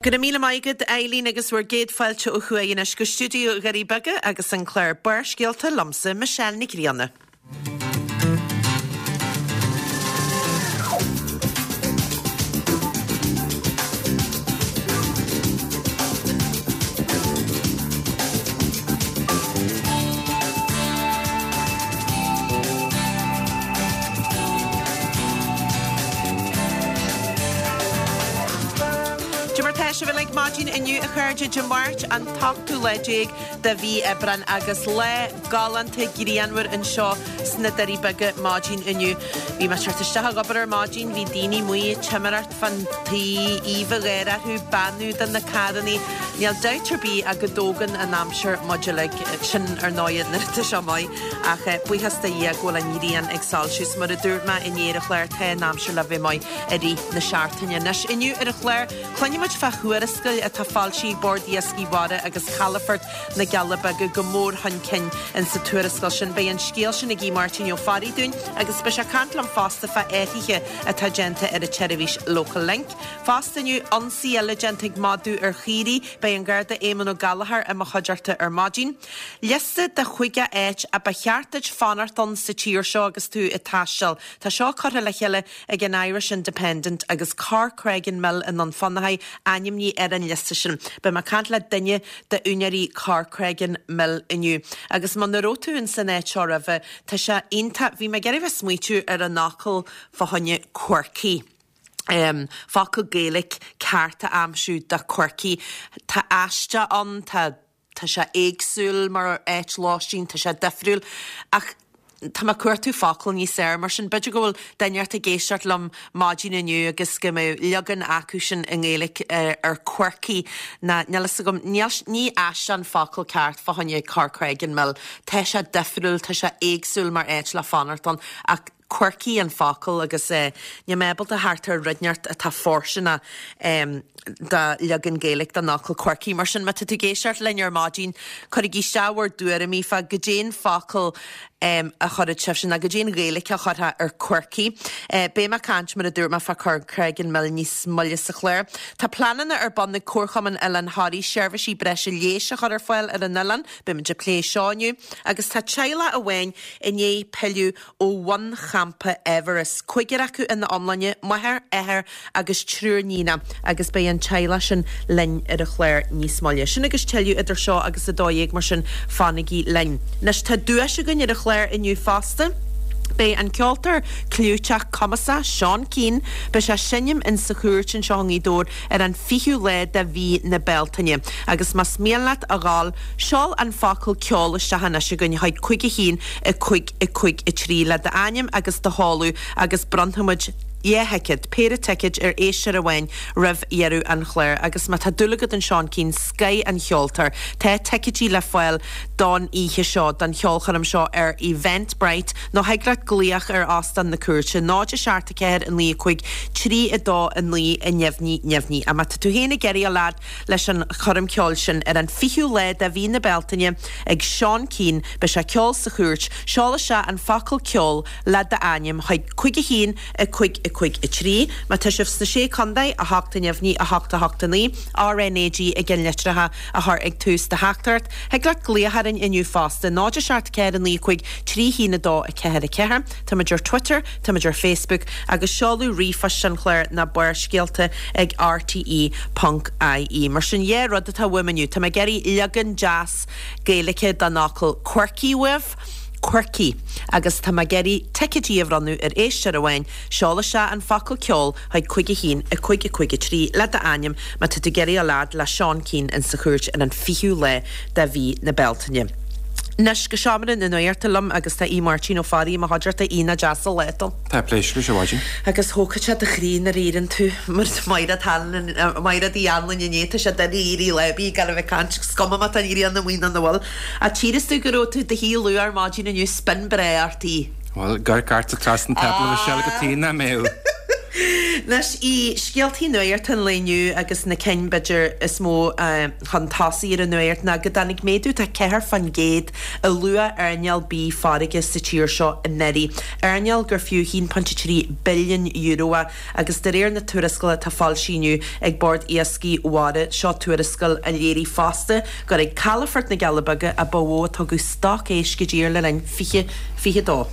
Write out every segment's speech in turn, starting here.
Go raibh míle maith agat, Eileen, agus bhur gcéad fáilte ó thuaidh anois go stiúideo Dhoirí Beaga agus an clár Barrscéalta liomsa, Michelle Nic Grianna. Cad é mar tá sibh uilig maidin inniu a chairde, Dé Máirt an t-ochtú lá déag de mhí Aibreán agus lá galánta grianmhar anseo sna Doirí Beaga maidin inniu. Bhí mé ag teacht isteach ag obair ar maidin, bhí daoine amuigh ag timireacht fán tuí, aoibh gháire orthu, beannú do na carrannaí. Níl dabht ar bith ach go dtógann an aimsir muid uilig, sin ar ndóighe nuair atá sé maith, ach buíochas do Dhia go bhfuil an ghrian ag soilsiú. 'S mar a dúirt mé inné ar an chlár, tá an aimsir le bheith maith i rith na seachtaine. Anois, inniu ar an chlár, cluinfidh muid fá thuarascáil atá foilsithe ag Bord Iascaigh Mhara agus Calafort na gCealla Beaga go mór chun cinn in sa tuarascáil sin. Beidh an scéal sin ag Aodh Máirtín Ó Fearraigh dúinn agus beidh sé ag caint liom fosta fá athruithe atá déanta ar an tseirbhís Local Link. Fosta inniu, ionsaí eile déanta ag madadh ar chaoirigh, beidh an Garda Éamonn Ó Gallchóir i mo chuideachta ar maidin. Liosta de chúig áit a ba cheart duit fanacht ann sa tír seo agus tú ag taisteal. Tá seo curtha le chéile ag an Irish Independent agus Corcreggan Mill i nDún Fionnachaidh ainmnithe ar an liosta sin. Beidh mé ag caint le duine d'úinéirí Corcreggan Mill inniu. Agus muna raibh tú ins an áit seo roimhe, tá sé iontach. Bhí mé ag iarraidh bheith smaoitiú ar an fhocal fá choinne quirky. Focal Gaeilge ceart a aimsiú do quirky. Tá aisteach ann, tá. Tá sé éagsúil mar áit lóistín, tá sé difriúil ach tá mé ag cuartú focal níos fearr, mar sin b'fhéidir go bhfuil duine inteacht ag éisteacht liom maidin inniu agus go mbeadh leagan acu sin i nGaeilge ar quirky ná níl fhios agam, níl, ní aisteach an focal ceart fá choinne Corcreggan Mill. Tá sé difriúil, tá sé éagsúil mar áit le fanacht ann ach quirky an focal agus níl mé ábalta theacht ar rud inteacht atá fóirsteanach do leagan Gaeilge den fhocal quirky. Mar sin, má tá tú ag éisteacht linn ar maidin, cuirigí isteach bhur dtuairimí fá goidé an focal a chuirfeadh sibhse nó goidé an Ghaeilge a chuirfeá ar quirky. Beidh mé ag caint, mar a dúirt mé, fá Corcreggan Mill níos moille sa chlár. Tá pleananna ar bun ag Comharchumann Oileán Thoraí seirbhísí breise leighis a chur ar fáil ar an oileán. Beimid ag plé seo inniu. Agus tá teaghlach amháin i ndiaidh pilleadh ó bhunchampa Everest, cúigear acu ina iomláine, máthair, athair agus triúr níonach, agus beidh an teaghlach sin linn ar an chlár níos moille. Sin agus tuilleadh idir seo agus 12, mar sin fanaigí linn. Anois tá duais againn ar an chlár inniu fosta. Beidh an ceoltóir clúiteach cumasach Seán Keane, beidh sé ag seinm in sa Chúirt anseo i nGaoth Dobhair ar an 20ú lá de mhí na Bealtaine. Agus más mian leat a dhul, seol an focal ceol isteach anois chugainn chuig 5 1 5 5 3 le d'ainm agus do sheoladh agus bronnfaimid 2 thicéad, péire ticéid ar éisteoir amháin roimh dheireadh an chláir. Agus má tá dúil agat in Seán Keane, scoth an cheoltóir, tá ticéidí le fáil don oíche seo, don cheolchoirm seo ar Eventbrite nó thig leat glaoch ar Óstán na Cúirte, 0 7 4 9 5 3 2 9 neamhní neamhní. Ach má tá tú féin ag iarraidh a dhul leis an choirm ceoil sin ar an 20ú lá de mhí na Bealtaine ag Seán Keane. Beidh sé ag ceol sa Chúirt. Seol isteach an focal ceol le d'ainm chuig 5 1 5 5 3. Má tá sibh sna Sé Contae, 8 neamhní 8 8 9, RnaG i gceannlitreacha a chur ag tús do theachtaireacht. Thig leat glaoch orainn inniu fosta, 0 7 4 9 5 3 1 2 4 4. Táimid ar Twitter, táimid ar Facebook agus seoladh ríomhphoist an chláir ná barrscéalta ag rte ponc ie. Mar sin dhá rud atá uaim inniu, tá mé ag iarraidh leagan deas Gaeilge den fhocal quirky uaibh, quirky, agus tá mé ag iarraidh ticéidí a bhronnadh ar éisteoir amháin, seol isteach an focal ceol chuig 5 1 5 5 3 le d'ainm má tá tú ag iarraidh a dhul fhad le Seán Keane in sa Chúirt ar an 20ú lá de mhí na Bealtaine. Anois go seomra na nuachta liom agus tá Aodh Máirtín Ó Fearraigh i mo chuideachta. Aodh, nach deas an lá dó. Tá pléisiúr leis a mhaidin. Agus thógfadh sé do chroí nuair a éiríonn tú mar Maighread Hanlon, Maighread Uí Anluain inné, tá sé doiligh éirí lá ar bith gan a bheith ag caint, is cuma má tá an ghrian amuigh nó nach bhfuil. Ach tchíos tú go raibh tú i do shuí luath ar maidin inniu, spin breá ort Aodh. Bhuel, gor cairt trasna an tábla a Mhichelle go tí nach mbeadh. Anois, i scéaltaí nuachta an lae inniu agus na cinn, b'fhéidir, is mó chun tosaigh ar an nuacht ná go dtáinig méadú de 4% i luach earnáil bídh farraige sa tír seo anuraidh, earnáil gur fiú €1.3 billiún é agus de réir na tuarascála atá foilsithe inniu ag Bord Iascaigh Mhara, seo tuarascáil a léirigh fosta gur ag calafort na gCealla Beaga a ba mhó a tugadh stoc éisc i dtír le linn 2022.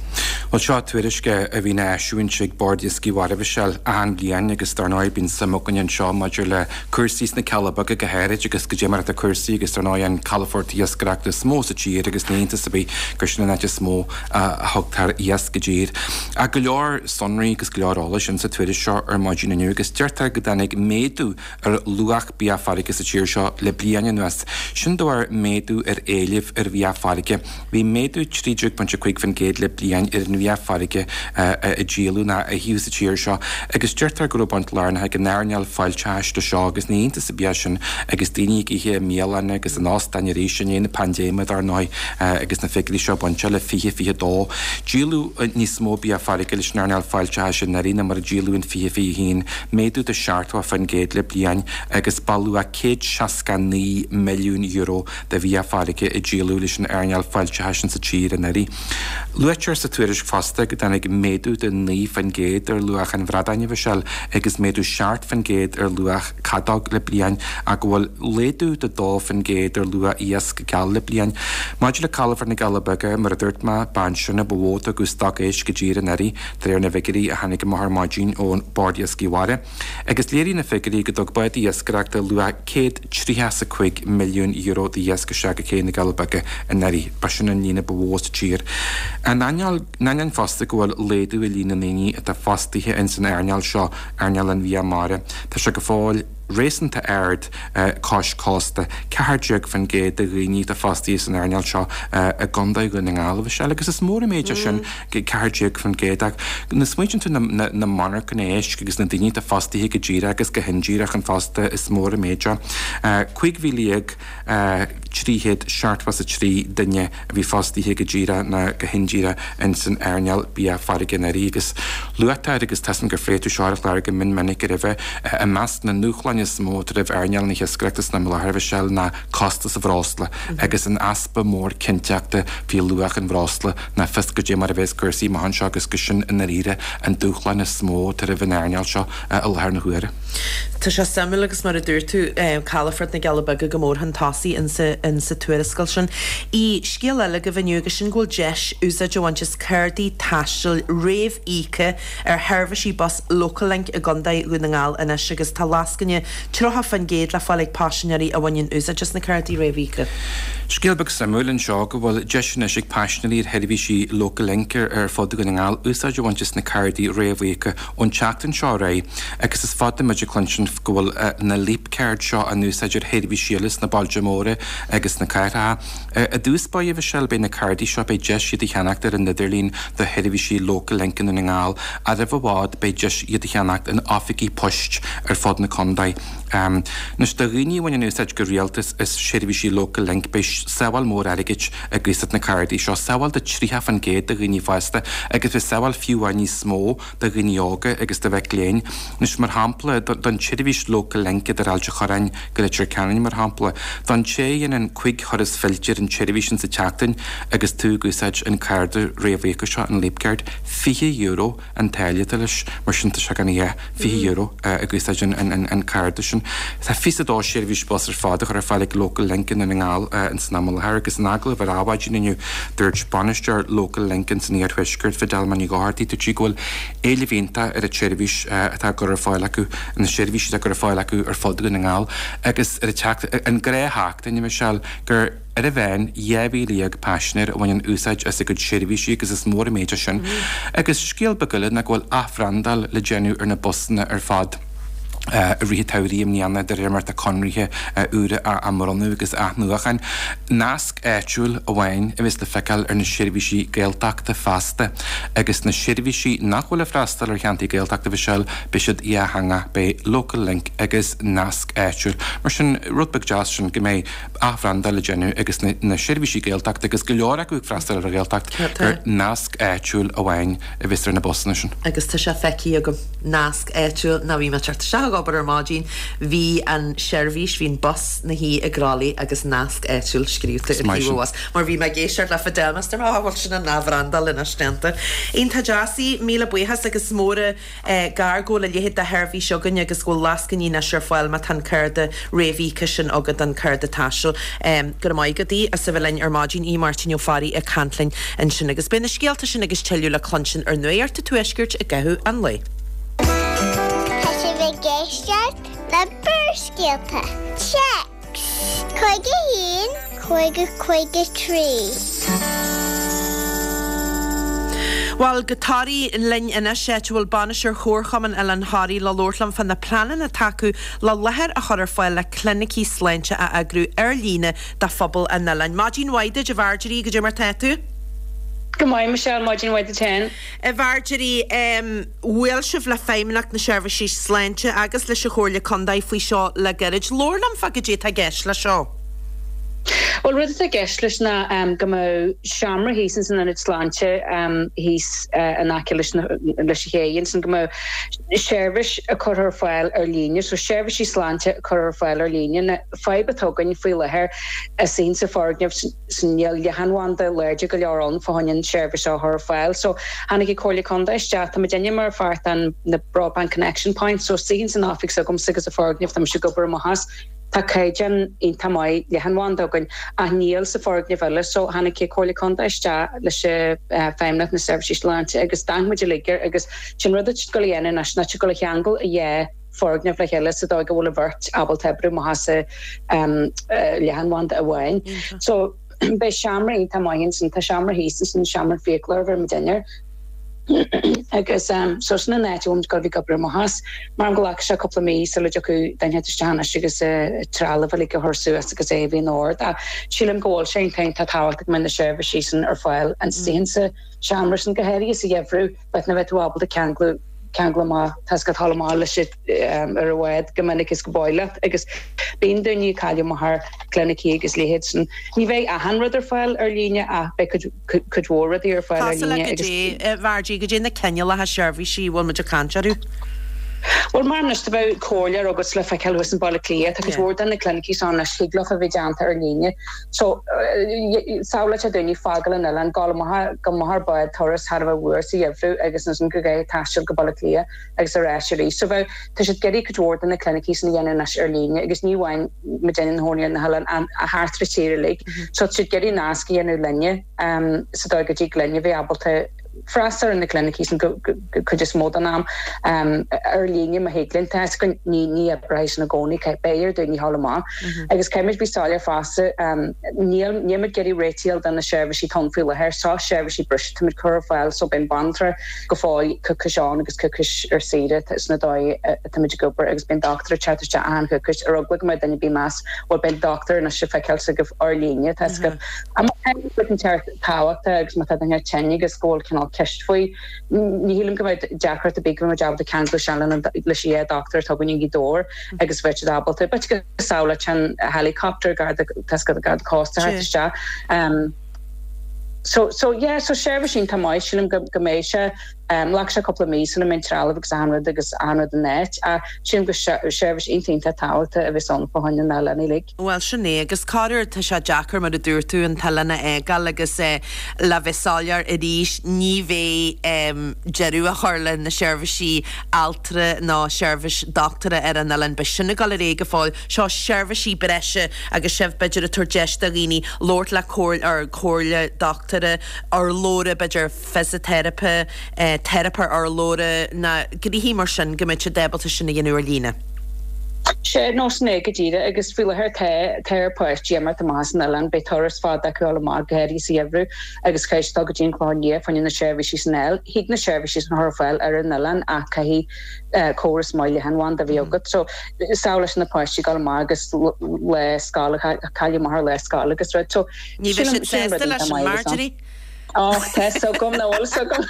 Bhuel, seo tuairisc a bhíonn á eisiúint ag Bord Iascaigh Mhara, a Mhichelle, achan bhliain agus dar ndóigh bíonn suim againn anseo maidir le cúrsaí sna Cealla Beaga go háirid agus goidé mar atá cúrsaí agus dar ndóigh an calafort iascaireachta is mó sa tír agus ní iontas ar bith gur sin an áit is mó a thugtar iasc i dtír. Ach go leor sonraí agus go leor eolais insa tuairisc seo ar maidin inniu agus deirtear go dtáinig méadú ar luach bia farraige sa tír seo le bliain anuas. Sin de bharr méadú ar éileamh ar bhia farraige. Bhí méadú 13.5% le bliain ar an bhia farraige a díoladh ná a itheadh sa tír seo agus deirtear go raibh baint lárnach ag an earnáil fáilteachais le seo agus ní iontas ar bith é sin agus daoine ag ithe i mbialanna agus in óstáin arís i ndiaidh na paindéime dar ndóigh agus na figiúirí seo bainte le 2022. Díoladh níos mó bia farraige leis an earnáil fáilteachais anuraidh ná mar a díoladh in 2021. méadú de 70% le bliain agus ba luach €169 milliún de bhia farraige a díoladh leis an earnáil fáilteachais insa tír anuraidh. Luaitear sa tuairisc fosta go dtáinig méadú de 9% ar luach an bhradáin, a Mhichelle, agus méadú 7% ar luach cadóg le bliain ach go bhfuil laghdú de 2% ar luach iasc geal le bliain. Maidir le Calafort na gCealla Beaga, mar a dúirt mé, b'ansin a ba mhó a tugadh stoc éisc i dtír anuraidh. De réir na bhfigiúirí a tháinig amach ar maidin ón Bord Iascaigh Mhara, agus léirigh na figiúirí go dtug bádaí iascaireachta luach €135 milliún d'iasc isteach go cé na gCealla Beaga anuraidh, ba sin an líon a ba mhó sa tír. In ainneoin fosta go bhfuil laghdú i líon na ndaoine atá fostaithe ins an earnáil seo, earnáil an bhia mara, tá sé go fóill réasúnta ard cois cósta, 14% de dhaoine atá fostaithe san earnáil seo i gContae Dhún na nGall, a Mhichelle, agus is mór an méid é sin. 14% ach nuair a smaoitíonn tú na monarchana éisc agus na daoine atá fostaithe go díreach agus go hindíreach an fosta is mór an méid é. 15,373 duine a bhí fostaithe go díreach ná go hindíreach ins an earnáil bia farraige anuraidh agus luaitear agus tá 's agam gur phléigh tú seo ar an chlár go mion minic roimhe i measc na ndúshláin is mó atá roimh earnáil na hiascaireachta san am i láthair a Mhichelle ná costas an bhreosla agus an easpa mór cinnteachta faoi luach an bhreosla Ná fios goidé mar a bheas cúrsaí amach anseo agus gur sin i ndáiríre an dúshlán is mó atá roimh an earnáil seo i láthair na huaire. Tá sé suimiúil agus mar a dúirt tú, Calafort na gCealla Beaga go mór chun tosaigh insa tuarascáil sin. I scéal eile agaibh inniu agus sin go bhfuil deis úsáid a bhaint as cárdaí taistil réamh-íoctha ar sheirbhísí bus Locallink i gContae Dhún na nGall anois agus tá lascaine 30% le fáil ag paisinéirí a bhaineann úsáid as na cárdaí réamhíoctha. Scéal beag suimiúil anseo go bhfuil deis anois ag paisinéirí ar sheirbhísí Locallink ar fud Dhún na nGall úsáid a bhaint as na cárdaí réamhíoctha ón tseachtain seo ar aghaidh agus is fada muid ag cluinstin go bhfuil na Leap Card seo á n-úsáid ar sheirbhísí eile sna bailte móra agus sna cathracha. I dtús báire, a Mhichelle, beidh na cárdaí seo, beidh deis iad a cheannacht ar an idirlíon do sheirbhísí Locallink i nDún na nGall ach roimh i bhfad beidh deis iad a cheannacht in oifigí poist ar fud na contae. Anois, do dhaoine a bhaineann úsáid go rialta as seirbhísí Locallink, beidh sábháil mór airgid ag úsáid na cárdaí seo, sábháil de 30% do dhaoine fásta agus beidh sábháil fiú amháin níos mó do dhaoine óga agus do mhic léinn. Anois, mar shampla, don tseirbhís Locallink idir Ailt a' Chorráin go Leitir Ceanainn, mar shampla, don té a dhéanann 5 thuras fillte ar an tseirbhís sin sa tseachtain agus tú ag úsáid an cárda réamhíoctha seo, an Leap Card, €20 an táille atá leis, mar sin tá sé gan a dhath, €20 ag úsáid an cárda sin. Tá 22 seirbhís bus ar fad á chur ar fáil ag Locallink i nDún na nGall ins an am i láthair agus in agallamh ar Adhmhaidin inniu dúirt bainisteoir Locallink ins an Iarthuaisceart, Fidelma Ní Dhochartaigh, dúirt sí go bhfuil éileamh iontach ar an tseirbhís atá á gcur ar fáil acu, na seirbhísí atá á gcur ar fáil acu ar fud Dhún na nGall agus ar an tseachtain, an ghnáthsheachtain, a Mhichelle, gur ar a mheán 12,000 paisinéir a bhaineann úsáid as a gcuid seirbhísí agus is mór an méid é sin. Agus scéal beag eile ná go bhfuil athbhrandáil le déanamh ar na busanna ar fad. I rith an tsamhraidh i mbliana, de réir mar atá conraithe úra á mbronnadh agus athnuachan, nasc áitiúil amháin a bheas le feiceáil ar na seirbhísí Gaeltachta feasta agus na seirbhísí nach bhfuil ag freastal ar cheantair Gaeltachta, a Mhichelle, beidh siad dhátheangach, beidh Local Link agus nasc áitiúil. Mar sin, rud beag deas sin go mbeidh athbhrandáil le déanamh agus na seirbhísí Gaeltachta, agus go leor acu ag freastal ar an Ghaeltacht, gur nasc áitiúil amháin a bheas ar na busanna sin. Agus tá sé feicthe agam, nasc áitiúil, nuair a bhí mé ag teacht isteach ag obair ar maidin, bhí an seirbhís, bhí an bus 'na shuí i gCroithlí agus nasc áitiúil scríobhta ar thaobh an bhus. Mar bhí mé ag éisteacht le Fidelma, is dúirt mé, bhuel sin an athbhrandáil anois déanta. Iontach deas í, míle buíochas agus mór an gar go bhfuil a leithéid de sheirbhís againn agus go bhfuil lascainí anois ar fáil má tá an cárta réamhíoctha sin agat, an cárta taistil. Go raibh maith agat a Aoidh as a bheith linn ar maidin, Aodh Máirtín Ó Fearraigh ag caint linn ansin. Agus beidh na scéalta sin agus tuilleadh le cluinstin ar Nuacht an Tuaiscirt i gcaitheamh an lae. Tá sibh ag éisteacht le Barrscéalta. Téacs 51 50 53. Bhuel, go Toraigh linn anois, áit a bhfuil bainisteoir Chomharchumann Oileán Thoraí le labhairt liom fá na pleananna atá acu le láthair a chur ar fáil le clinicí sláinte a eagrú ar líne do phobal an oileáin. Maidin mhaith duit, a Mharjorie, goidé mar tá tú? Go maith, Michelle, maidin mhaith duit féin. A Mharjorie, bhuail sibh le Feidhmeannacht na Seirbhíse Sláinte agus leis an Chomhairle Contae faoi seo le gairid. Labhair liom fá goidé atá i gceist leis seo. Bhuel, rud atá i gceist leis ná go mbeadh seomra thíos ins an ionad sláinte thíos in aice leis an ché ansin, go mbeadh seirbhís curtha ar fáil ar líne, so seirbhísí sláinte curtha ar fáil ar líne. Na fadhb atá againn faoi láthair is insa foirgneamh sin níl leathanbhanda láidir go leor ann fá choinne an seirbhís seo a chur ar fáil. So tháinig an Comhairle Contae isteach, tá muidinne mar pháirt den na Broadband Connection Points, so istigh ins an oifig s'agamsa agus sa foirgneamh tá mise ag obair amach as, Tá caighdeán iontach maith leathanbhanda againn ach níl sa foirgneamh eile so tháinig an Comhairle Contae isteach leis Feidhmeannacht na Seirbhísí Sláinte agus d'amharc muid uilig air agus sin rud atá siad ag dul a dhéanamh anois ná siad ag dul a cheangal an dhá foirgneamh le chéile sa dóigh go bhfuil an bheirt ábalta oibriú amach as leathanbhanda amháin. So beidh seomra iontach maith ansin, tá seomra thíos ansin, seomra fiaclóir a bheir muid air. Agus so sin an áit a bhfuil muid ag dul a bheith ag obair amach as. Mar go nglacfaidh sé cúpla mí sula dtiocfaidh duine isteach anois agus trealamh uilig a chur suas agus é a bheith in ord. Ach sílim go bhfuil sé iontach iontach tábhachtach go mbeidh na seirbhísí sin ar fáil istigh insa seomra sin, go háirithe sa gheimhreadh, b'fhéidir nach mbeidh tú ábalta ceanglú ceangal amach, tá 's agat dul amach leis ar an bhád chomh minic is go b'áil leat agus bíonn daoine ag cailleadh amach ar clinicí agus leithéid sin. Ní bheidh achan rud ar fáil ar líne ach beidh cuid cuid mhór rudaí ar fáil ar líne agus. Cosúil le goidé, a Mhargie, goidé na cineálacha seirbhísí a bhfuil muid ag caint orthu? Bhuel, mar anois, dá mbeadh comhairleoir agat le feiceáil thuas in Baile Átha Cliath, tá cuid mhór de na clinicí seo anois, thig leofa a bheith déanta ar líne. So, samhlaigh daoine fágáil an oileáin, gabháil amach, gabháil amach ar bád turas thar a bheith fuar sa gheimhreadh agus ansin go gcaithfidh taisteal go Baile Átha Cliath agus ar ais arís. So bheadh, tá siad ag iarraidh cuid mhór de na clinicí sin a dhéanamh anois ar líne agus ní amháin muidinne inár gcónaí ar na hoileáin ach thart ar an tír uilig. So tá siad ag iarraidh nasc a dhéanamh linne sa dóigh go dtig linne bheith ábalta freastal ar na clinicí sin go cuid is mó den am ar líne má thig linn. Tá 'fhios againn ní ní oibreoidh sin i gcónaí, beidh ar daoine dhul amach. Agus caithfimid bheith soiléir fosta, níl níl muid ag iarraidh réitigh do na seirbhísí atá ann faoi láthair, so seirbhísí breise tá muid cur ar fáil so beidh an banaltra go fóill coicís ann agus coicís ar saoire sin an dóigh atáimid ag obair agus bíonn dochtúir ag teacht isteach achan choicís ar eagla go mbeadh duine ar bith meas bhuel beidh dochtúir anois le feiceáil s'agaibh ar líne tá 'fhios agaibh. Má tá rud inteacht tábhachtach agus má tá duine tinn agus go bhfuil cineál ceist faoi ní shílim go mbeadh deacracht ar bith go mbeidh muid ábalta ceangal isteach leis an dhá dochtúir atá againn i nGaoth Dobhair agus bheadh siad ábalta b'fhéidir go samhlóidh an helicopter garda tá 'fhios agat garda cósta a theacht isteach. So, so yeah, so seirbhís iontach maith, sílim go, go mbeidh sé, um, ghlacfaidh sé cúpla mí sula mbeidh an trealamh agus achan rud agus achan rud in áit ach sílim go seirbhís iontach iontach tábhachtach a bheas ann fá choinne na n-oileán uilig. Bhuel, sin é, agus corruair tá sé deacair, mar a dúirt tú, an t-oileán a fhágáil agus eh, le bheith soiléir arís, ní bheidh em, deireadh á chur le na seirbhísí altra nó seirbhís dochtúra ar an oileán, beidh sin ag dul ar aghaidh go fóill. Seo seirbhísí breise agus sibh, b'fhéidir, ag tabhairt deis do dhaoine labhairt le comhairle, or comhairle dochtúra, urlabhra, b'fhéidir fisiteiripe, teiripeoir urlabhra, nó gnoithí mar sin, go mbeidh siad ábalta sin a dhéanamh ar líne. Sea, nó sin é go díreach agus faoi láthair tá, tá ar pháistí imeacht amach as an oileán, beidh turas fada acu dul amach, go háirithe sa gheimhreadh agus caithfidh siad dul go dtí an Clochán Liath fá choinne na seirbhísí sin a fháil. Thig na seirbhísí sin a chur ar fáil ar an oileán ach caithfidh córas maith leathanbhanda a bheith agat. So, samhlaigh leis na páistí dul amach agus lá scoile, cailleadh amach ar lá scoile agus rud. So, Ní bheidh sílim, siad sin rud sásta leis iontach sin, maith agus ann. Marjorie. Och, tá 'fhios agam, nach bhfuil 'fhios agam.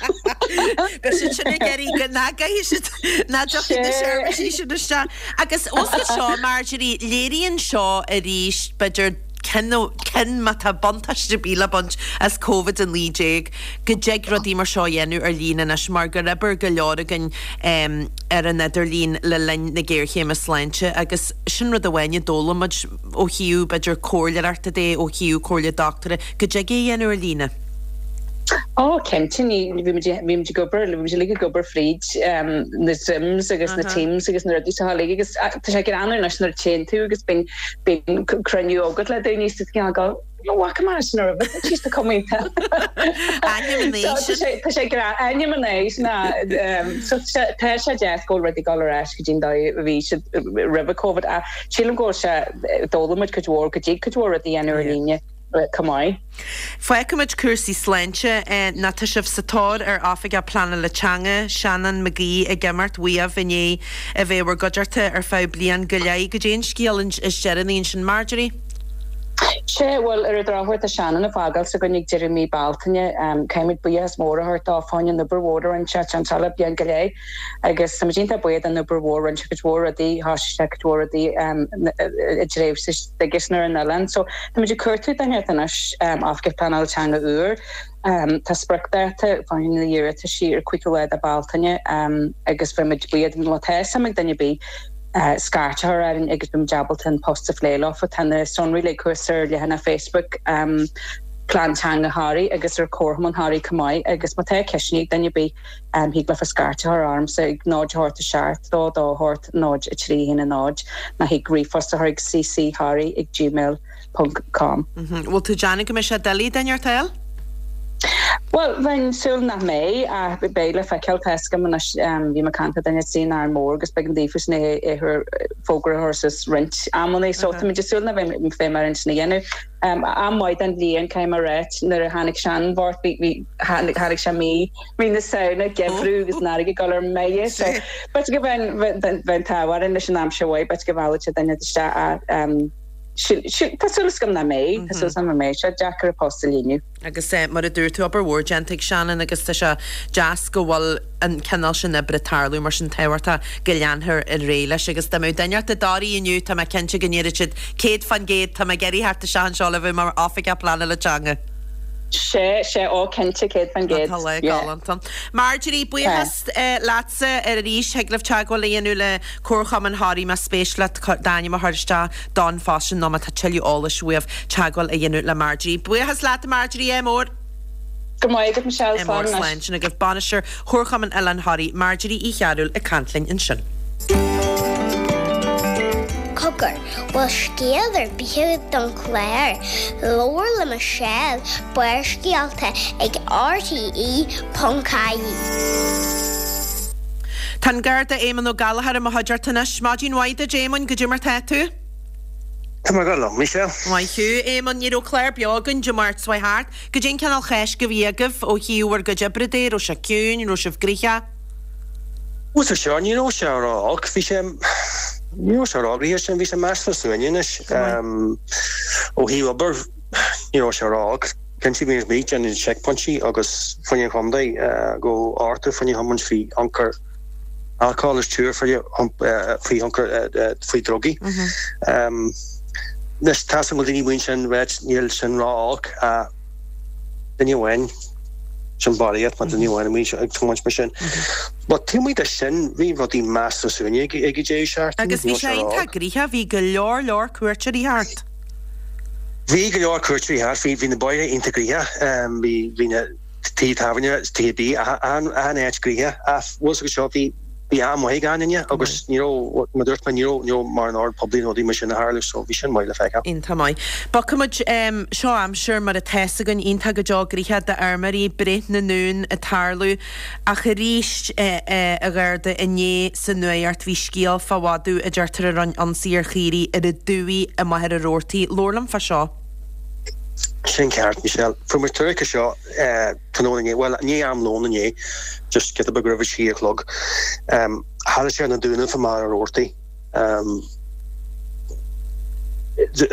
Beidh siad sin ag iarraidh go nach gcaithfidh siad, nach dtiocfaidh na seirbhísí sin isteach. Agus os go seo, Marjorie, léiríonn seo arís, b'fhéidir, cinn, cinn má tá buntáiste ar bith le baint as Covid-19, go dtig rudaí mar seo a dhéanamh ar líne anois mar gur oibir go leor againn ar an idirlíon le linn na géarchéime sláinte agus sin rud amháin a d'fhoghlaim muid ó thaobh, b'fhéidir, comhairleoireachta de, ó thaobh comhairle dochtúra, go dtig é a dhéanamh ar líne. Ó, cinnte, ní, bhí muid, bhí muid ag obair, bhí muid uilig ag obair fríd na Zooms agus na Teams agus na rudaí seo uilig agus tá sé greannmhar anois nuair a téann tú agus bíonn, bíonn cruinniú agat le daoine is tú ag gabháil, ní bhfaca mé sin roimhe, tá siad cuma iontach. Ainm an So, tá sé, tá sé greann, ainm an aois ná, so tá sé, tá sé deas go bhfuil rudaí ag dul ar ais go dtí an dóigh a bhí siad roimhe Covid ach sílim go bhfuil sé, d'fhoghlaim muid cuid mhór, go dtig cuid mhór rudaí a dhéanamh ar líne. chomh maith. Fágfaimid cúrsaí sláinte nó tá sibh sa tóir ar Oifigeach Pleanála Teanga, Seanán Mag Aoidh ag imeacht uaibh i ndiaidh a bheith i bhur gcuideachta ar feadh bliain go leith. Goidé an scéal is deireanaí ansin, Marjorie? Sea, bhuel, ar an drochuair tá Seanán ag fágáil s'againn ag deireadh mí Bealtaine. Caithfimid buíochas mór a thabhairt dó fá choinne an obair mhór a rinne sé anseo le bliain go leith. Agus tá muid iontach buíoch den obair mhór, rinne sé cuid mhór rudaí, thosaigh sé cuid mhór rudaí i dtréimhse s'aigesean ar an oileán. So tá muid ag cuartú duine anois, Oifigeach Pleanála Teanga úr. Tá spriocdháta fá choinne na n-iarrataisí ar 5ú lá de Bealtaine agus bheadh muid buíoch má tá suim ag duine ar bith scairt a chur orainn agus beidh muid ábalta an post a phlé leofa. Tá na sonraí uilig thuas ar leathanach Facebook Plean Teanga Thoraí agus ar Comharchumann Thoraí chomh maith agus má tá ceisteanna ag duine ar bith, Thig leofa scairt a chur ormsa ag 0 8 7 2 2 8 0 3 1 0 nó thig ríomhphost a chur ag ccthoraí ag gmail ponc com. Bhfuil tú ag déanamh go mbeidh sé doiligh duine inteacht a fháil? Bhuel, bheinn súil nach mbeidh, ach beidh le feiceáil. Tá 'fhios agam anois, bhí mé ag caint le duine sa Árainn Mhór agus b'éigean daofa sin é fógra a chur suas roinnt amannaí, so tá muid ag súil nach mbeidh mé ar an sin a dhéanamh. Am maith den bhliain, caithfidh mé a ráit, nuair a tháinig Seanán Bhort, bhí, bhí, tháinig, tháinig sé mí, mí na Samhna, geimhreadh agus an fharraige ag dul ar mire, so b'fhéidir go mbeidh, bheadh, bheadh an t-ádh orainn leis an aimsir mhaith, b'fhéidir go mheallfadh sé duine isteach ach, sin, sin, tá súil agam nach mbeidh, tá súil agam nach mbeidh sé deacair an post a líonadh. Agus mar a dúirt tú, obair mhór déanta ag Seanán agus tá sé deas go bhfuil an cineál sin oibre ag tarlú mar sin tábhachtach go leanfar ar aghaidh leis. Agus dá mbeadh duine inteacht i dToraigh inniu, tá mé cinnte go ndéarfadh siad 100%, tá mé ag iarraidh theacht isteach anseo le bheith mar oifigeach pleanála teanga. Sea, sea, ó cinnte, 100%, Tá lá yeah. galánta. Marjorie, buíochas leatsa arís. Thig libh teagmháil a dhéanamh le Comharchumann Thoraí más spéis leat d'ainm a chur isteach don phost sin nó má tá tuilleadh eolais uaibh teagmháil a dhéanamh le Marjorie. Buíochas leat a Marjorie, ádh mór! Go raibh maith agat Michelle, Ádh mór, slán anois. Slán. Sin agaibh Bainisteoir Chomharchumann Oileán Thoraí, Marjorie Uí Chearúil ag caint linn ansin. Cogar, bhfuil scéal ar bith agat don chlár? Labhair le Michelle, Barrscéalta ag RTE.ie. Tá an Garda Éamonn Ó Gallchóir i mo chuideachta anois. Maidin mhaith duit Éamoinn, goidé mar tá tú? Tá mé go maith, Michelle. Maith thú, Éamonn. Ní raibh clár beo againn Dé Máirt seo thart. Goidé an cineál Cháisc a bhí agaibh ó thaobh bhur gcuid oibre de? Raibh sé ciúin? Raibh sibh gnoitheach? Bhuel, sa seo, ní raibh sé ró-olc. Bhí sé, ní raibh sé ró-ghnoitheach sin, bhí sé measartha suaimhneach anois. Ó thaobh obair, ní raibh sé ró-olc. Cinnte bhí muid ag déanamh checkpointí agus fá choinne an chontae go ardú fá choinne thiomáint faoi thionchar alcóil is triúr faoi thionchar faoi drugaí. Anois tá 'fhios agam go bhfuil daoine amuigh ansin ag ráit níl sin ró-olc ach duine amháin sin barraíocht má duine amháin amuigh ag tiomáint mar sin. But taobh amuigh de sin bhí rudaí measartha suaimhneach ag an deireadh seachtaine. Agus bhí sé iontach gnoitheach, bhí go leor leor cuairteoirí thart. Bhí go leor cuairteoirí thart, bhí, bhí na bóithre iontach gnoitheach, bhí, bhí na tithe tábhairne, tithe bídh, achan, achan áit gnoitheach ach bhfuil 'fhios agat seo, bhí. Bhí am maith ag achan duine agus ní raibh, mar a dúirt mé, ní raibh, ní raibh mórán ord poiblí nó rudaí mar sin ag tarlú so bhí sin maith le feiceáil. Iontach maith. Bogfaidh muid, seo aimsir mar atá fhios againn, iontach go deo gnoitheach d'fheirmeoirí, breith na n-uan ag tarlú. Ach arís, a Gharda, inné sa nuacht bhí scéal fá mhadadh a deirtear a rinne ionsaí ar chaoirigh ar an dumhaigh i Machaire Rabhartaigh. Labhair liom fá seo. Sin ceart, Michelle. Fuair muid tuairisc air seo tráthnóna inné, bhuel, i ndiaidh am lóin inné, just giota beag roimh a trí a chlog. Tharla sé ar na Dúnaibh i Machaire Rabhartaigh.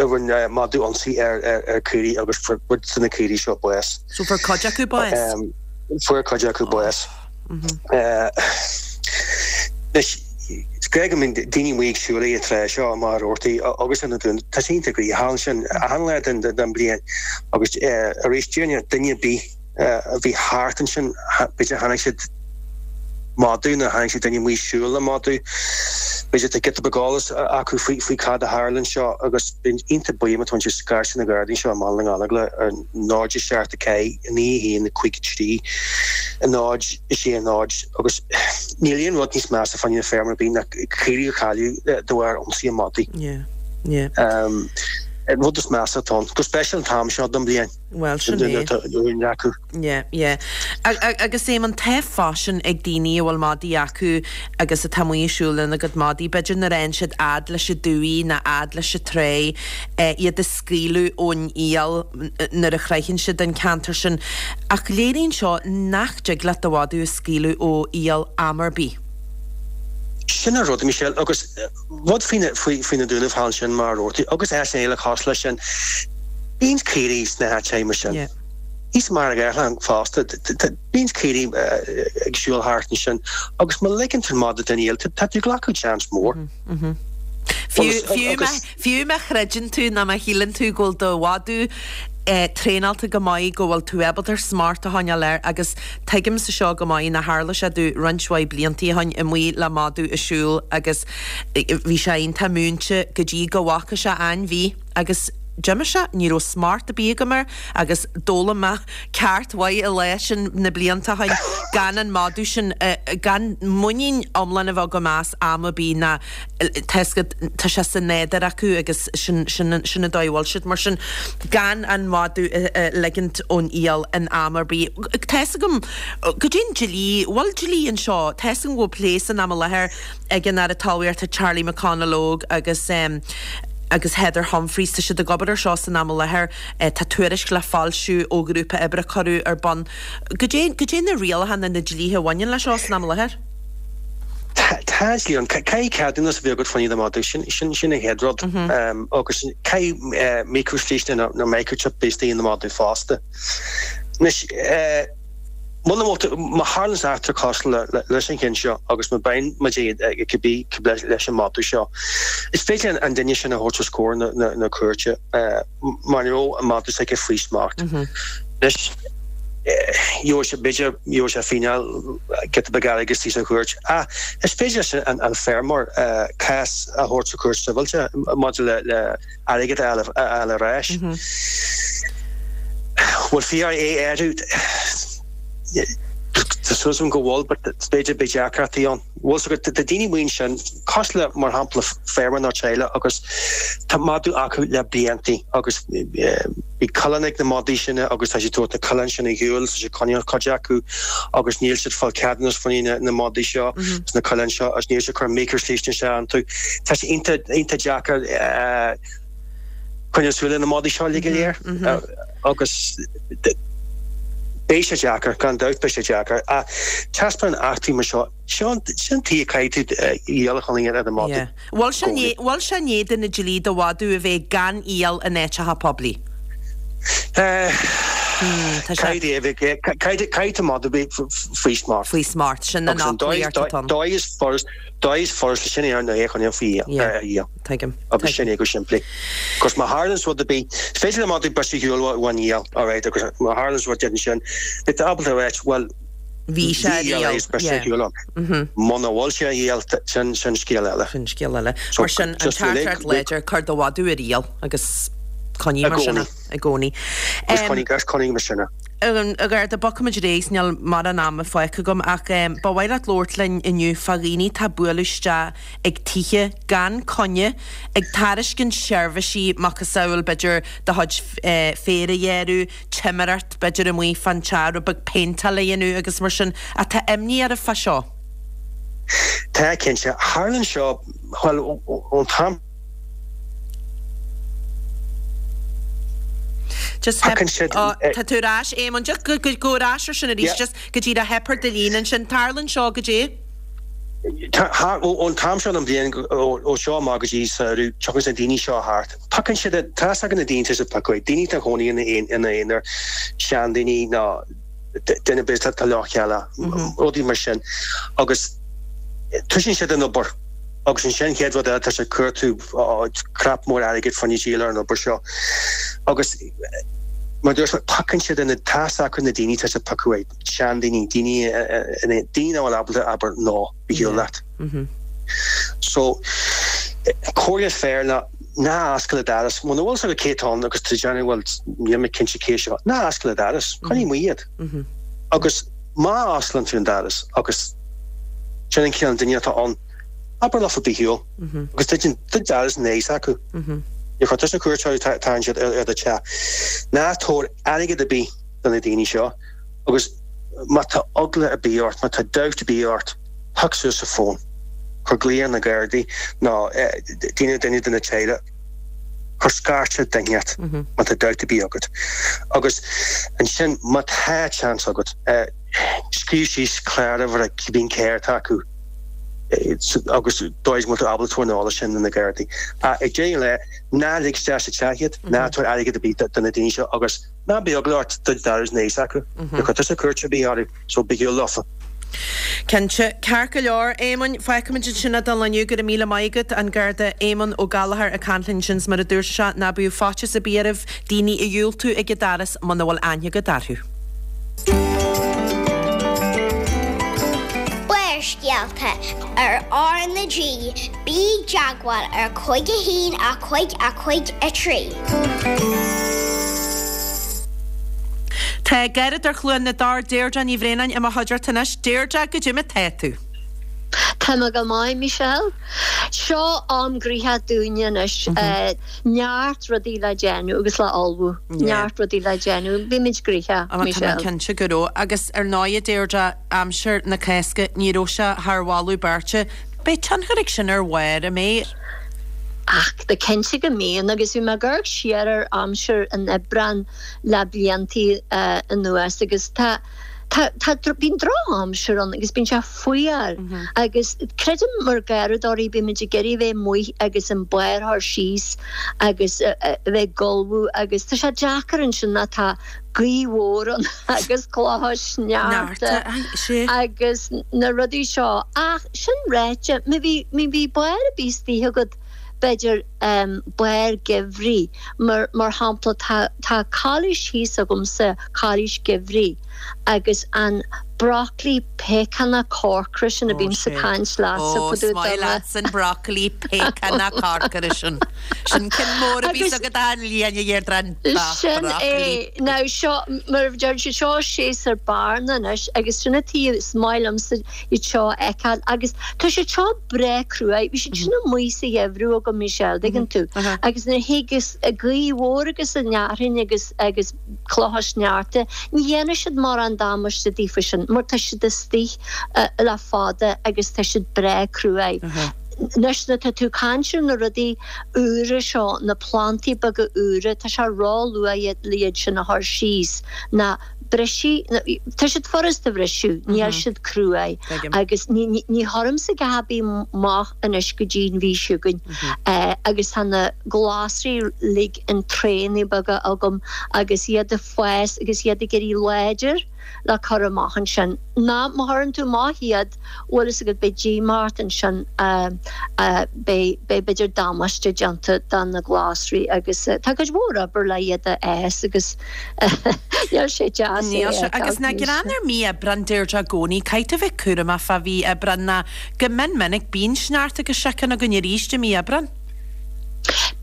Rinne madadh ionsaí ar chaoirigh agus fuair cuid de na caoirigh seo bás. So fuair cuid acu bás? Fuair cuid acu bás. Anois, is gá go mbíonn daoine amuigh ag siúl an tráth seo i Machaire Rabhartaigh agus ar na Dúnaibh. Tá sé iontach gnoitheach ansin achan lá den bhliain agus arís déarfainn duine ar bith a bhí thart ansin, b'fhéidir chonaic siad madadh nó chonaic siad duine amuigh ag siúl le madadh. B'fhéidir tá giota beag eolas acu faoi cad a tharla anseo agus bheinn iontach buíoch má tá siad scairteadh na Gardaí anseo i mBaile na nGallóglach ar 0 7 4 9 1 5 3 0 6 0 agus níl aon rud níos measa fá choinne feirmeoir ar bith ná caoirigh a chailleadh de bharr ionsaí an mhadaidh. An rud is measa atá ann, go speisialta an t-am seo den bhliain. Bhuel, sin é. acu. Yeah, yeah. Agus Éamonn, tá faisean ag daoine a bhfuil madaí acu agus atá amuigh ag siúl lena gcuid madaí, b'fhéidir nuair a fhaigheann siad fhad leis an dumhaigh nó fhad leis an tráigh, iad a scaoileadh ón iall nuair a shroicheann siad an ceantar sin. Ach léiríonn seo nach dtig leat do mhadadh a scaoileadh ó iall am ar bith. Sin an rud, Michelle, agus rud faoi faoi na Dúnaibh thall ansin Machaire Rabhartaigh agus áiteanna eile cosúil leis sin, bíonn caoirigh sna háiteacha mar sin. Thíos i Machaire Gathlán fosta, bíonn caoirigh ag siúl thart ansin agus má ligeann tú an madadh den iall, tá tú ag glacadh seans mór. Fiú, fiú má chreideann tú nó má shíleann tú go bhfuil do mhadadh traenáilte go maith, go bhfuil tú ábalta ar smacht a choinneáil air agus tuigimse seo go maith nó tharla sé domh roinnt mhaith bliantaí ó shin amuigh le madadh ag siúl agus bhí sé iontach múinte go dtí go bhfaca sé ainmhí agus d'imigh sé, ní raibh smacht ar bith agam air agus d'fhoghlaim mé ceacht mhaith an lá sin na blianta ó shin gan an madadh sin, gan muinín iomlán a bheith agam as am ar bith ná tá fhios agat, tá sé sa nádúr acu agus sin, sin, sin an dóigh a bhfuil siad. Mar sin, gan an madadh a ligint ón iall in am ar bith. Tá fhios agam, goidé an dlí, bhfuil dlí anseo, tá fhios agam go bhfuil plé san am i láthair ag an Aire Talmhaíochta Charlie McConalogue agus agus Heather Humphreys, tá siad ag obair ar seo san am i láthair, tá tuairisc le foilsiú ó ghrúpa oibre a cuireadh ar bun. Goidé, goidé na rialacha nó na dlíthe a bhaineann leis seo san am i láthair? Tá dlí ann. Caithfidh ceadúnas a bheith agat fá choinne do mhadadh. Sin sin an chéad rud. Agus caithfidh micreashlísne nó microchip bheith istigh ina madadh fosta. Anois, muna bhfuil tú, má tharlaíonn eachtra cosúil leis an cheann seo agus má bhíonn muid ag cibé leis an madadh seo, is féidir an duine sin a thabhairt os comhair na cúirte. mar ní raibh an madadh s'aige faoi smacht. Anois, gheobhaidh sé, b'fhéidir, gheobhaidh sé fíneáil, giota beag airgid istigh sa chúirt. Ach is féidir leis an feirmeoir cás a thabhairt sa chúirt sibhialta maidir le airgead a fháil ar ais. Bhfuil fiú é orthu? Tá súil agam go bhfuil, but b'fhéidir beidh deacrachtaí ann. Bhfuil fhios agat, tá daoine amuigh ansin, cosúil le, mar shampla, feirmeoir nó teaghlach agus tá madadh acu le bliantaí agus bhí coileáin ag na madaí sin agus tá siad ag tabhairt na coileáin sin ar shiúl, tá siad ag coinneáil cuid acu agus níl siad ag fáil ceadúnas fá choinne na madaí seo, na coileáin seo agus níl siad ag cur micreashlísne isteach iontu. Tá sé iontach, iontach deacair coinneáil súil ar na madaí seo uilig go léir agus beidh sé deacair, gan dabht beidh sé deacair. Ach taispeánann eachtraí mar seo, seo an tuige a caithfidh tú iall a choinneáil ar do mhadadh. Bhfuil sé bhfuil sé in éadan an dlí do mhadadh a bheith gan iall in áiteacha poiblí? Caithfidh caithfidh do mhadadh bheith faoi smacht. Faoi smacht, sin an fhoclaíocht atá ann. Dóigh is furast, dóigh is furast sin é ná é a choinneáil faoi iall. Tuigim. Agus sin é go simplí. Agus má tharlaíonn rud ar bith, is féidir le madadh briseadh ar shiúl ón iall, alright, agus má tharlaíonn rud éigin ansin, beidh tú ábalta a ráit, bhuel, bhí sé ar iall, briseadh ar shiúl ann. Muna bhfuil sé ar iall, sin, sin scéal eile. Sin scéal eile. Mar sin, an teachtaireacht láidir, cuir do mhadadh ar iall agus coinnigh mar sin é i gcónaí. Agus coinnigh, agus coinnigh mar sin é. A Gharda, bogfaimid ar aghaidh, níl mórán ama fágtha agam ach ba mhaith leat labhairt linn inniu fá dhaoine atá ag bualadh isteach ag tithe gan coinne, ag tairiscint seirbhísí macasamhail b'fhéidir do chuid féir a ghearradh, timireacht b'fhéidir amuigh fán teach, rud beag péinteáil a dhéanamh agus mar sin. Ach tá imní oraibh fá seo. Tá, cinnte. Tharlaíonn seo, bhuel, ón t-am. Just theip, oh, tá tú ar ais, Éamonn, just go, go, go ar ais ar sin arís, just go díreach theip ar do líne ansin. Tarlaíonn seo goidé? Ón t-am seo den bhliain, ó seo amach go dtí samhradh, tiocfaidh na daoine seo thart. Piocann siad, tá fhios ag na daoine atá siad ag piocadh, daoine atá ina gcónaí ina n-aonar, seandaoine nó duine ar bith atá leochaileach, rudaí mar sin. Agus toisíonn siad an obair agus ansin an chéad rud eile tá siad ag cuartú crap mór airgid fá choinne díol ar an obair seo. Agus mar a dúirt mé, piocann siad na, tá fhios acu na daoine atá siad ag piocadh, seandaoine, daoine, daoine nach bhfuil ábalta abair no, bí shiúl leat. So, comhairle is fearr ná ná oscail an doras. Muna bhfuil fhios agat cé atá ann agus tú ag déanamh bhuel níl mé cinnte cé seo, ná oscail an doras. Coinnigh amuigh iad. Agus má osclaíonn tú an doras agus sin an cineál duine atá ann, abair leofa bí ar shiúl. Agus druid an doras ina aghaidh s'acu. Níor chuir tusa cuairt orthu, tagann siad ar do teach. Ná tabhair airgead ar bith do na daoine seo agus má tá eagla ar bith ort, má tá dabht ar bith ort, pioc suas an fón, cuir glao ar na Gardaí nó duine duine de na teaghlaigh, cuir scairt ar duine inteacht má tá dabht ar bith agat. Agus ansin má tá seans agat, scríobh síos cláruimhir cibé carr atá acu agus dóigh is go bhfuil tú ábalta tabhairt an eolas sin do na Gardaí. Ach ag deireadh an lae, ná lig isteach sa teach iad, ná tabhair airgead ar bith do na daoine seo agus ná bíodh eagla ort druid an doras ina aghaidh s'acu. Níor chuir tusa cuairt ar bith orthu. So bí ar shiúl leofa. Cinnte. Ceart go leor, Éamoinn, fágfaimid ansin é don lá inniu. Go raibh míle maith agat. An Garda Éamonn Ó Gallchóir ag caint linn ansin 's mar a dúirt sé, ná bíodh faitíos ar bith oraibh daoine a dhiúltú ag an doras muna bhfuil aithne agat orthu. Barrscéalta ar R na G, bí i dteagmháil ar 5 1 5 5 3. Tá Garradóir Chluain na dTor, Deirdre Ní Bhraonáin, i mo chuideachta anois. Deirdre, goidé mar tá tú? Tá mé go maith, Michelle. Seo am gnoitheach dúinne anois. Neart rudaí le déanamh agus le ullmhú. Neart rudaí le déanamh. Bímid gnoitheach, Michelle. Tá mé cinnte go raibh. Agus ar ndóigh, a Deirdre, aimsir na Cásca, ní raibh sé thar mholadh beirte. Beidh tionchar ag sin ar bharr, an mbeidh? Ach tá cinnte go mbíonn, agus bhí mé ag amharc siar ar aimsir an Aibreáin le bliantaí anuas agus tá, tá, tá, bíonn drochaimsir ann agus bíonn sé fuar agus creidim mar gharradóirí bímid ag iarraidh a bheith amuigh agus an barr a chur síos agus a bheith ag ullmhú agus tá sé deacair ansin nuair atá gaoth mhór ann agus clocha sneachta agus na rudaí seo ach sin ráite, má bhí, má bhí barr ar bith istigh agat, b'fhéidir barr geimhridh, mar, mar shampla tá, tá cailís thíos agamsa, cailís geimhridh agus an broccoli péacánach corcra sin a bímse ag caint leatsa fá dtaobh de. Ó, is maith leatsa an broccoli péacánach corcra sin. Sin ceann mór a bhíos agat achan bhliain a Dheirdre, an Sin é. Now seo, mar a deir siad, seo séasúr bearna anois agus sin an tuige is maith liomsa iad seo a fheiceáil agus tá siad seo breá cruaidh. Bhí siad sin amuigh sa gheimhreadh agam, Michelle, dtuigeann tú? Agus nuair a thig an ghaoth mhór agus an fhearthainn agus agus clocha sneachta, ní dhéanfaidh siad mórán damáiste daofa sin mar tá siad istigh le fada agus tá siad breá cruaidh. Anois nuair atá tú ag caint ar na rudaí úra seo, na plantaí beaga úra, tá sé ró-luath le iad sin a chur síos ná briseadh, tá siad furast a bhriseadh, níl siad cruaidh agus ní chuirimse a dhath ar bith amach anois go dtí an mhí seo chugainn agus tá na glasraí uilig in traenaí beaga agam agus iad ag fás agus iad ag éirí láidir le cur amach ansin. Ná má chuireann tú amach iad, bhfuil fhios agat, beidh díomá ort ansin, beidh, beidh b'fhéidir damáiste déanta do na glasraí agus tá cuid mhór obair le iad a fhás agus níl sé deas é a fheiceáil. Agus ná gearán ar mí Aibreán, Deirdre, i gcónaí, caithfidh tú bheith cúramach fá mhí Aibreán ná go mion minic bíonn sneachta agus síocháin againn arís i mí Aibreán.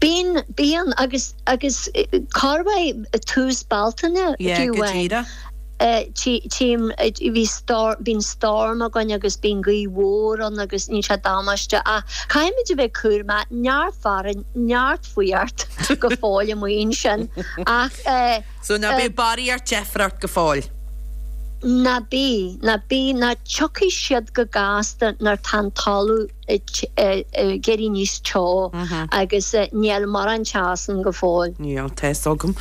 Bíonn, bíonn agus, agus corruair tús Bealtaine Yeah, fiú go amháin. díreach. Tchím, bhí storm, bíonn storm againn agus bíonn gaoth mhór ann agus níonn sé damáiste ach caithfimid a bheith cúramach, neart fearthainn, neart fuacht go fóill amuigh ansin ach eh. So ná bíodh barraíocht deifir ort go fóill. Ná bí, ná bí, ná tiocfaidh siad go gasta nuair tá an talamh ag éirí níos teo agus níl mórán teas ann go fóill. Níl, tá fhios agam.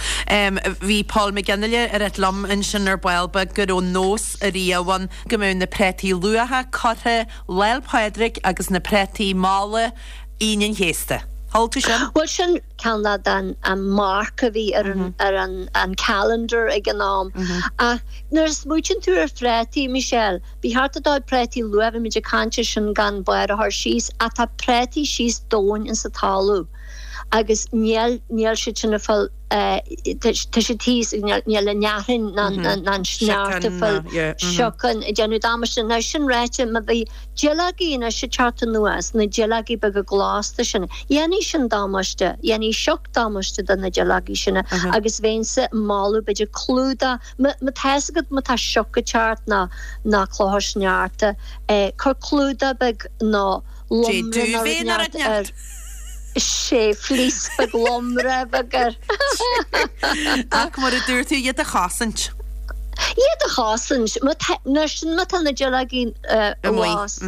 Bhí Paul McGinley ag ráit liom ansin ar ball beag go raibh nós ariamh ann go mbeadh na préataí luatha curtha Lá 'le Pádraig agus na préataí malla Aoine an Chéasta. Chuala tú sin? Bhuel sin ceann den an marc a bhí ar an ar an an calendar ag an am. Ach nuair a smaoitíonn tú ar phréataí, Michelle, ba cheart do do préataí luath, bhí muid ag caint ar sin gan barr a chur síos, ach tá préataí síos domhain insa talamh agus níl níl siad sin ag fáil tá siad thíos níl an fhearthainn ná an sneachta ag fáil siocain ag déanamh damáiste. Now sin ráite, má bhí duilleogaí anois ag teacht anuas, na duilleogaí beaga glasta sin, dhéanfaidh sin damáiste, dhéanfaidh sioc damáiste do na duilleogaí sin agus bheinnse ag moladh b'fhéidir clúdach, má tá fhios agat má tá sioc ag teacht ná ná clocha sneachta, cuir clúdach beag nó lomra nó rud inteacht air. Sé fleece beag lomra beag air. Ach mar a dúirt tú, iad a chosaint. Iad a chosaint. Má tá, nuair sin má tá na duilleogaí Amuigh. glas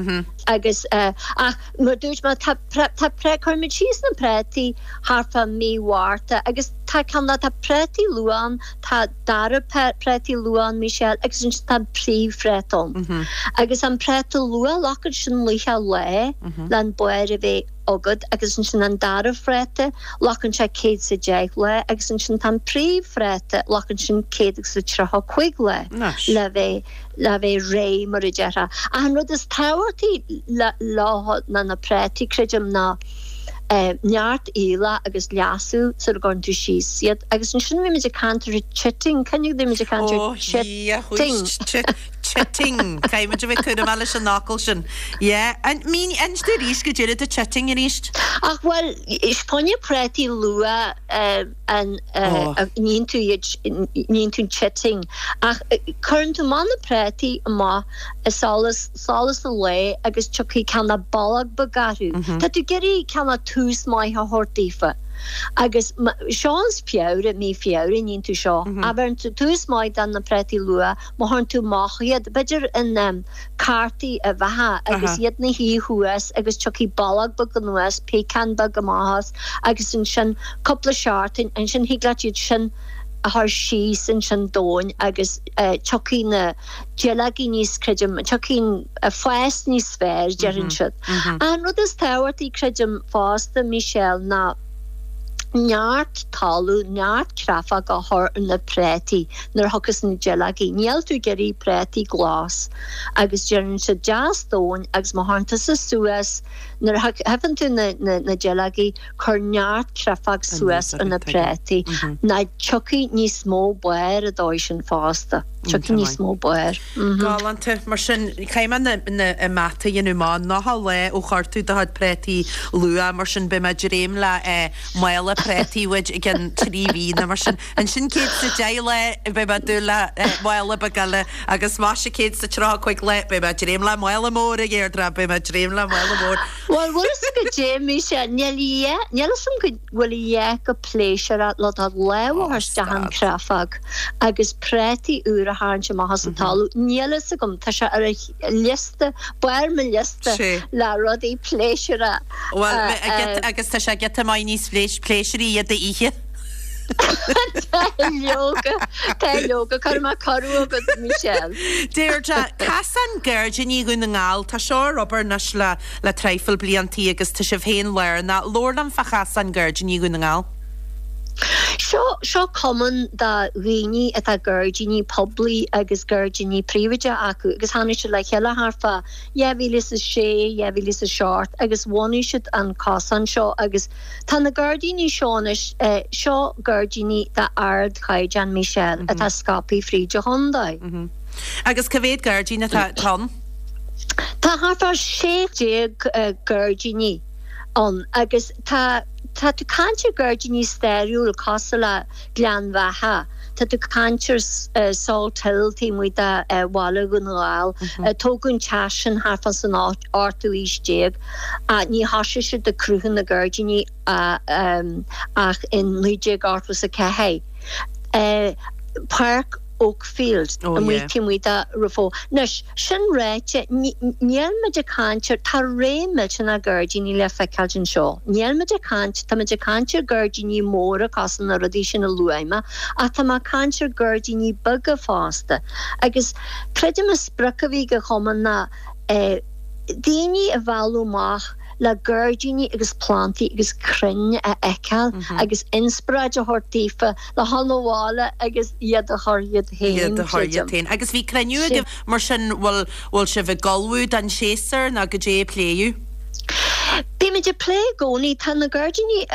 agus ach mar a dúirt mé tá tá pré cuirimid síos na préataí thart fá mí Mhárta agus tá ceann tá préataí luath ann, tá dara préataí luath ann Michelle agus ansin tá an príomhphréata ann. Agus an préata luath glacann sin 90 lá le an barr a bheith agat agus ansin an dara phréata, glacann sé 110 lá agus ansin tá an príomhphréata, glacann sin 135 lá le bheith le bheith réidh mar a déarfá. Ach an rud is tábhachtaí leo ná na préataí, creidim, ná neart aoileach agus leasú sula gcuireann tú síos iad. Agus ansin bhí muid ag caint ar chitting, cuimhnigh bhí muid ag caint ar chitting. Chitting. Caithfidh muid a bheith cúramach leis an fhocal sin. Yeah. An, mín, inis domh arís goidé rud é chitting arís. Ach bhuel, fá choinne préataí luath an níonn tú iad, níonn tú an chitting. Ach cuireann tú amach na préataí amach i solas, solas an lae agus tiocfaidh cineál boilg beag orthu. Tá tú ag iarraidh cineál tús maith a thabhairt daofa. Agus seo ins Feabhra, mí Feabhra a níonn tú seo. Ach bheireann tú tús maith do na préataí luath Má chuireann tú amach iad, b'fhéidir in cártaí uibheacha agus iad 'na shuí thuas agus tiocfaidh boilg beag anuas, péacán beag amach as agus ansin cúpla seachtain, ansin thig leat iad sin a chur síos ansin domhain agus tiocfaidh na duilleogaí níos, creidim, tiocfaidh an fás níos fearr, deireann siad. An rud is tábhachtaí, creidim, fosta, Michelle, ná neart talamh, neart créafóg a chur ar na préataí nuair a thiocfas na duilleogaí. Níl tú ag iarraidh préataí glas agus déanann siad deas domhain agus má chuireann tusa suas, nuair a thiofan tú na na duilleogaí, cuir neart créafóg suas ar na préataí ná tiocfaidh níos mó barr an dóigh sin fosta. Tiocfaidh níos mó barr. Galánta. Mar sin, caithfidh mé na, na, an mata a dhéanamh amach, 90 lá ó chuir tú do chuid préataí luath, mar sin beidh mé ag dréim le eh, mála préataí uait i gcionn 3 mhí nó mar sin. Ansin 110 lá beidh mé ag dúil le eh, mála beag eile agus más ea 135 lá beidh mé ag dréim le mála mór a Dheirdre, beidh mé ag dréim le mála mór. Bhuel, bhfuil fhios agat goidé, Michelle, níl a dhath, níl fhios agam go bhfuil a dhath chomh pléisiúrach le do lámh a chur isteach an chréafóg agus préataí úra a tharraingt amach as an talamh. Níl fhios agam, tá sé ar an liosta, barr mo liosta le rudaí pléisiúrtha. Bhuel, agus tá sé giota maith níos pléisiúraí iad a ithe. Tá leoga, tá leoga, cuirfidh mé cuireadh agat, Michelle. Deirdre, Cosán Gairdíní Dhún na nGall, tá seo ar obair anois le le traidhfil bliantaí agus tá sibh féin lárnach. Labhair liom fá Chosán Gairdíní Dhún na nGall. Seo, seo cumann de dhaoine atá gairdíní poiblí agus gairdíní príobháideach acu agus tháinig siad le chéile thart fá 2006, 2007 agus bhunaigh siad an cosán seo agus tá na gairdíní seo anois, seo gairdíní d'ardchaighdeán, Michelle, atá scaipthe fríd an chontae. Agus cá mhéad gairdín atá ann? Tá thart fá 16 gairdíní ann agus tá tá tú ag caint ar gairdíní stairiúil cosúil le Gleann Bheatha. Tá tú ag caint ar Salt Hill taobh amuigh de bhaile Dhún na nGall. Tógadh an teach sin thart fán san ochtú aois déag. Ní thosaigh siad ag cruthú na gairdíní ach in 1984. Páirc Oakfield amuigh taobh amuigh de Raphoe. Anois, sin ráite, níl muid ag caint ar, tá ré millteanach gairdíní le feiceáilt anseo. Níl muid ag caint, tá muid ag caint ar gairdíní móra cosúil na rudaí sin a luaigh mé, ach tá mé ag caint ar gairdíní beaga fosta. Agus creidim an sprioc a bhí ag an chumann ná daoine a mhealladh amach le gairdíní agus plantaí agus crainn a fheiceáil agus inspioráid a thabhairt daofa le dhul abhaile agus iad a chur iad féin, Iad a chur iad féin. Agus bhí cruinniú agaibh mar sin, bhfuil, bhfuil sibh ag ullmhú don séasúr nó goidé a pléadh? Bímid ag plé i gcónaí. Tá na gairdíní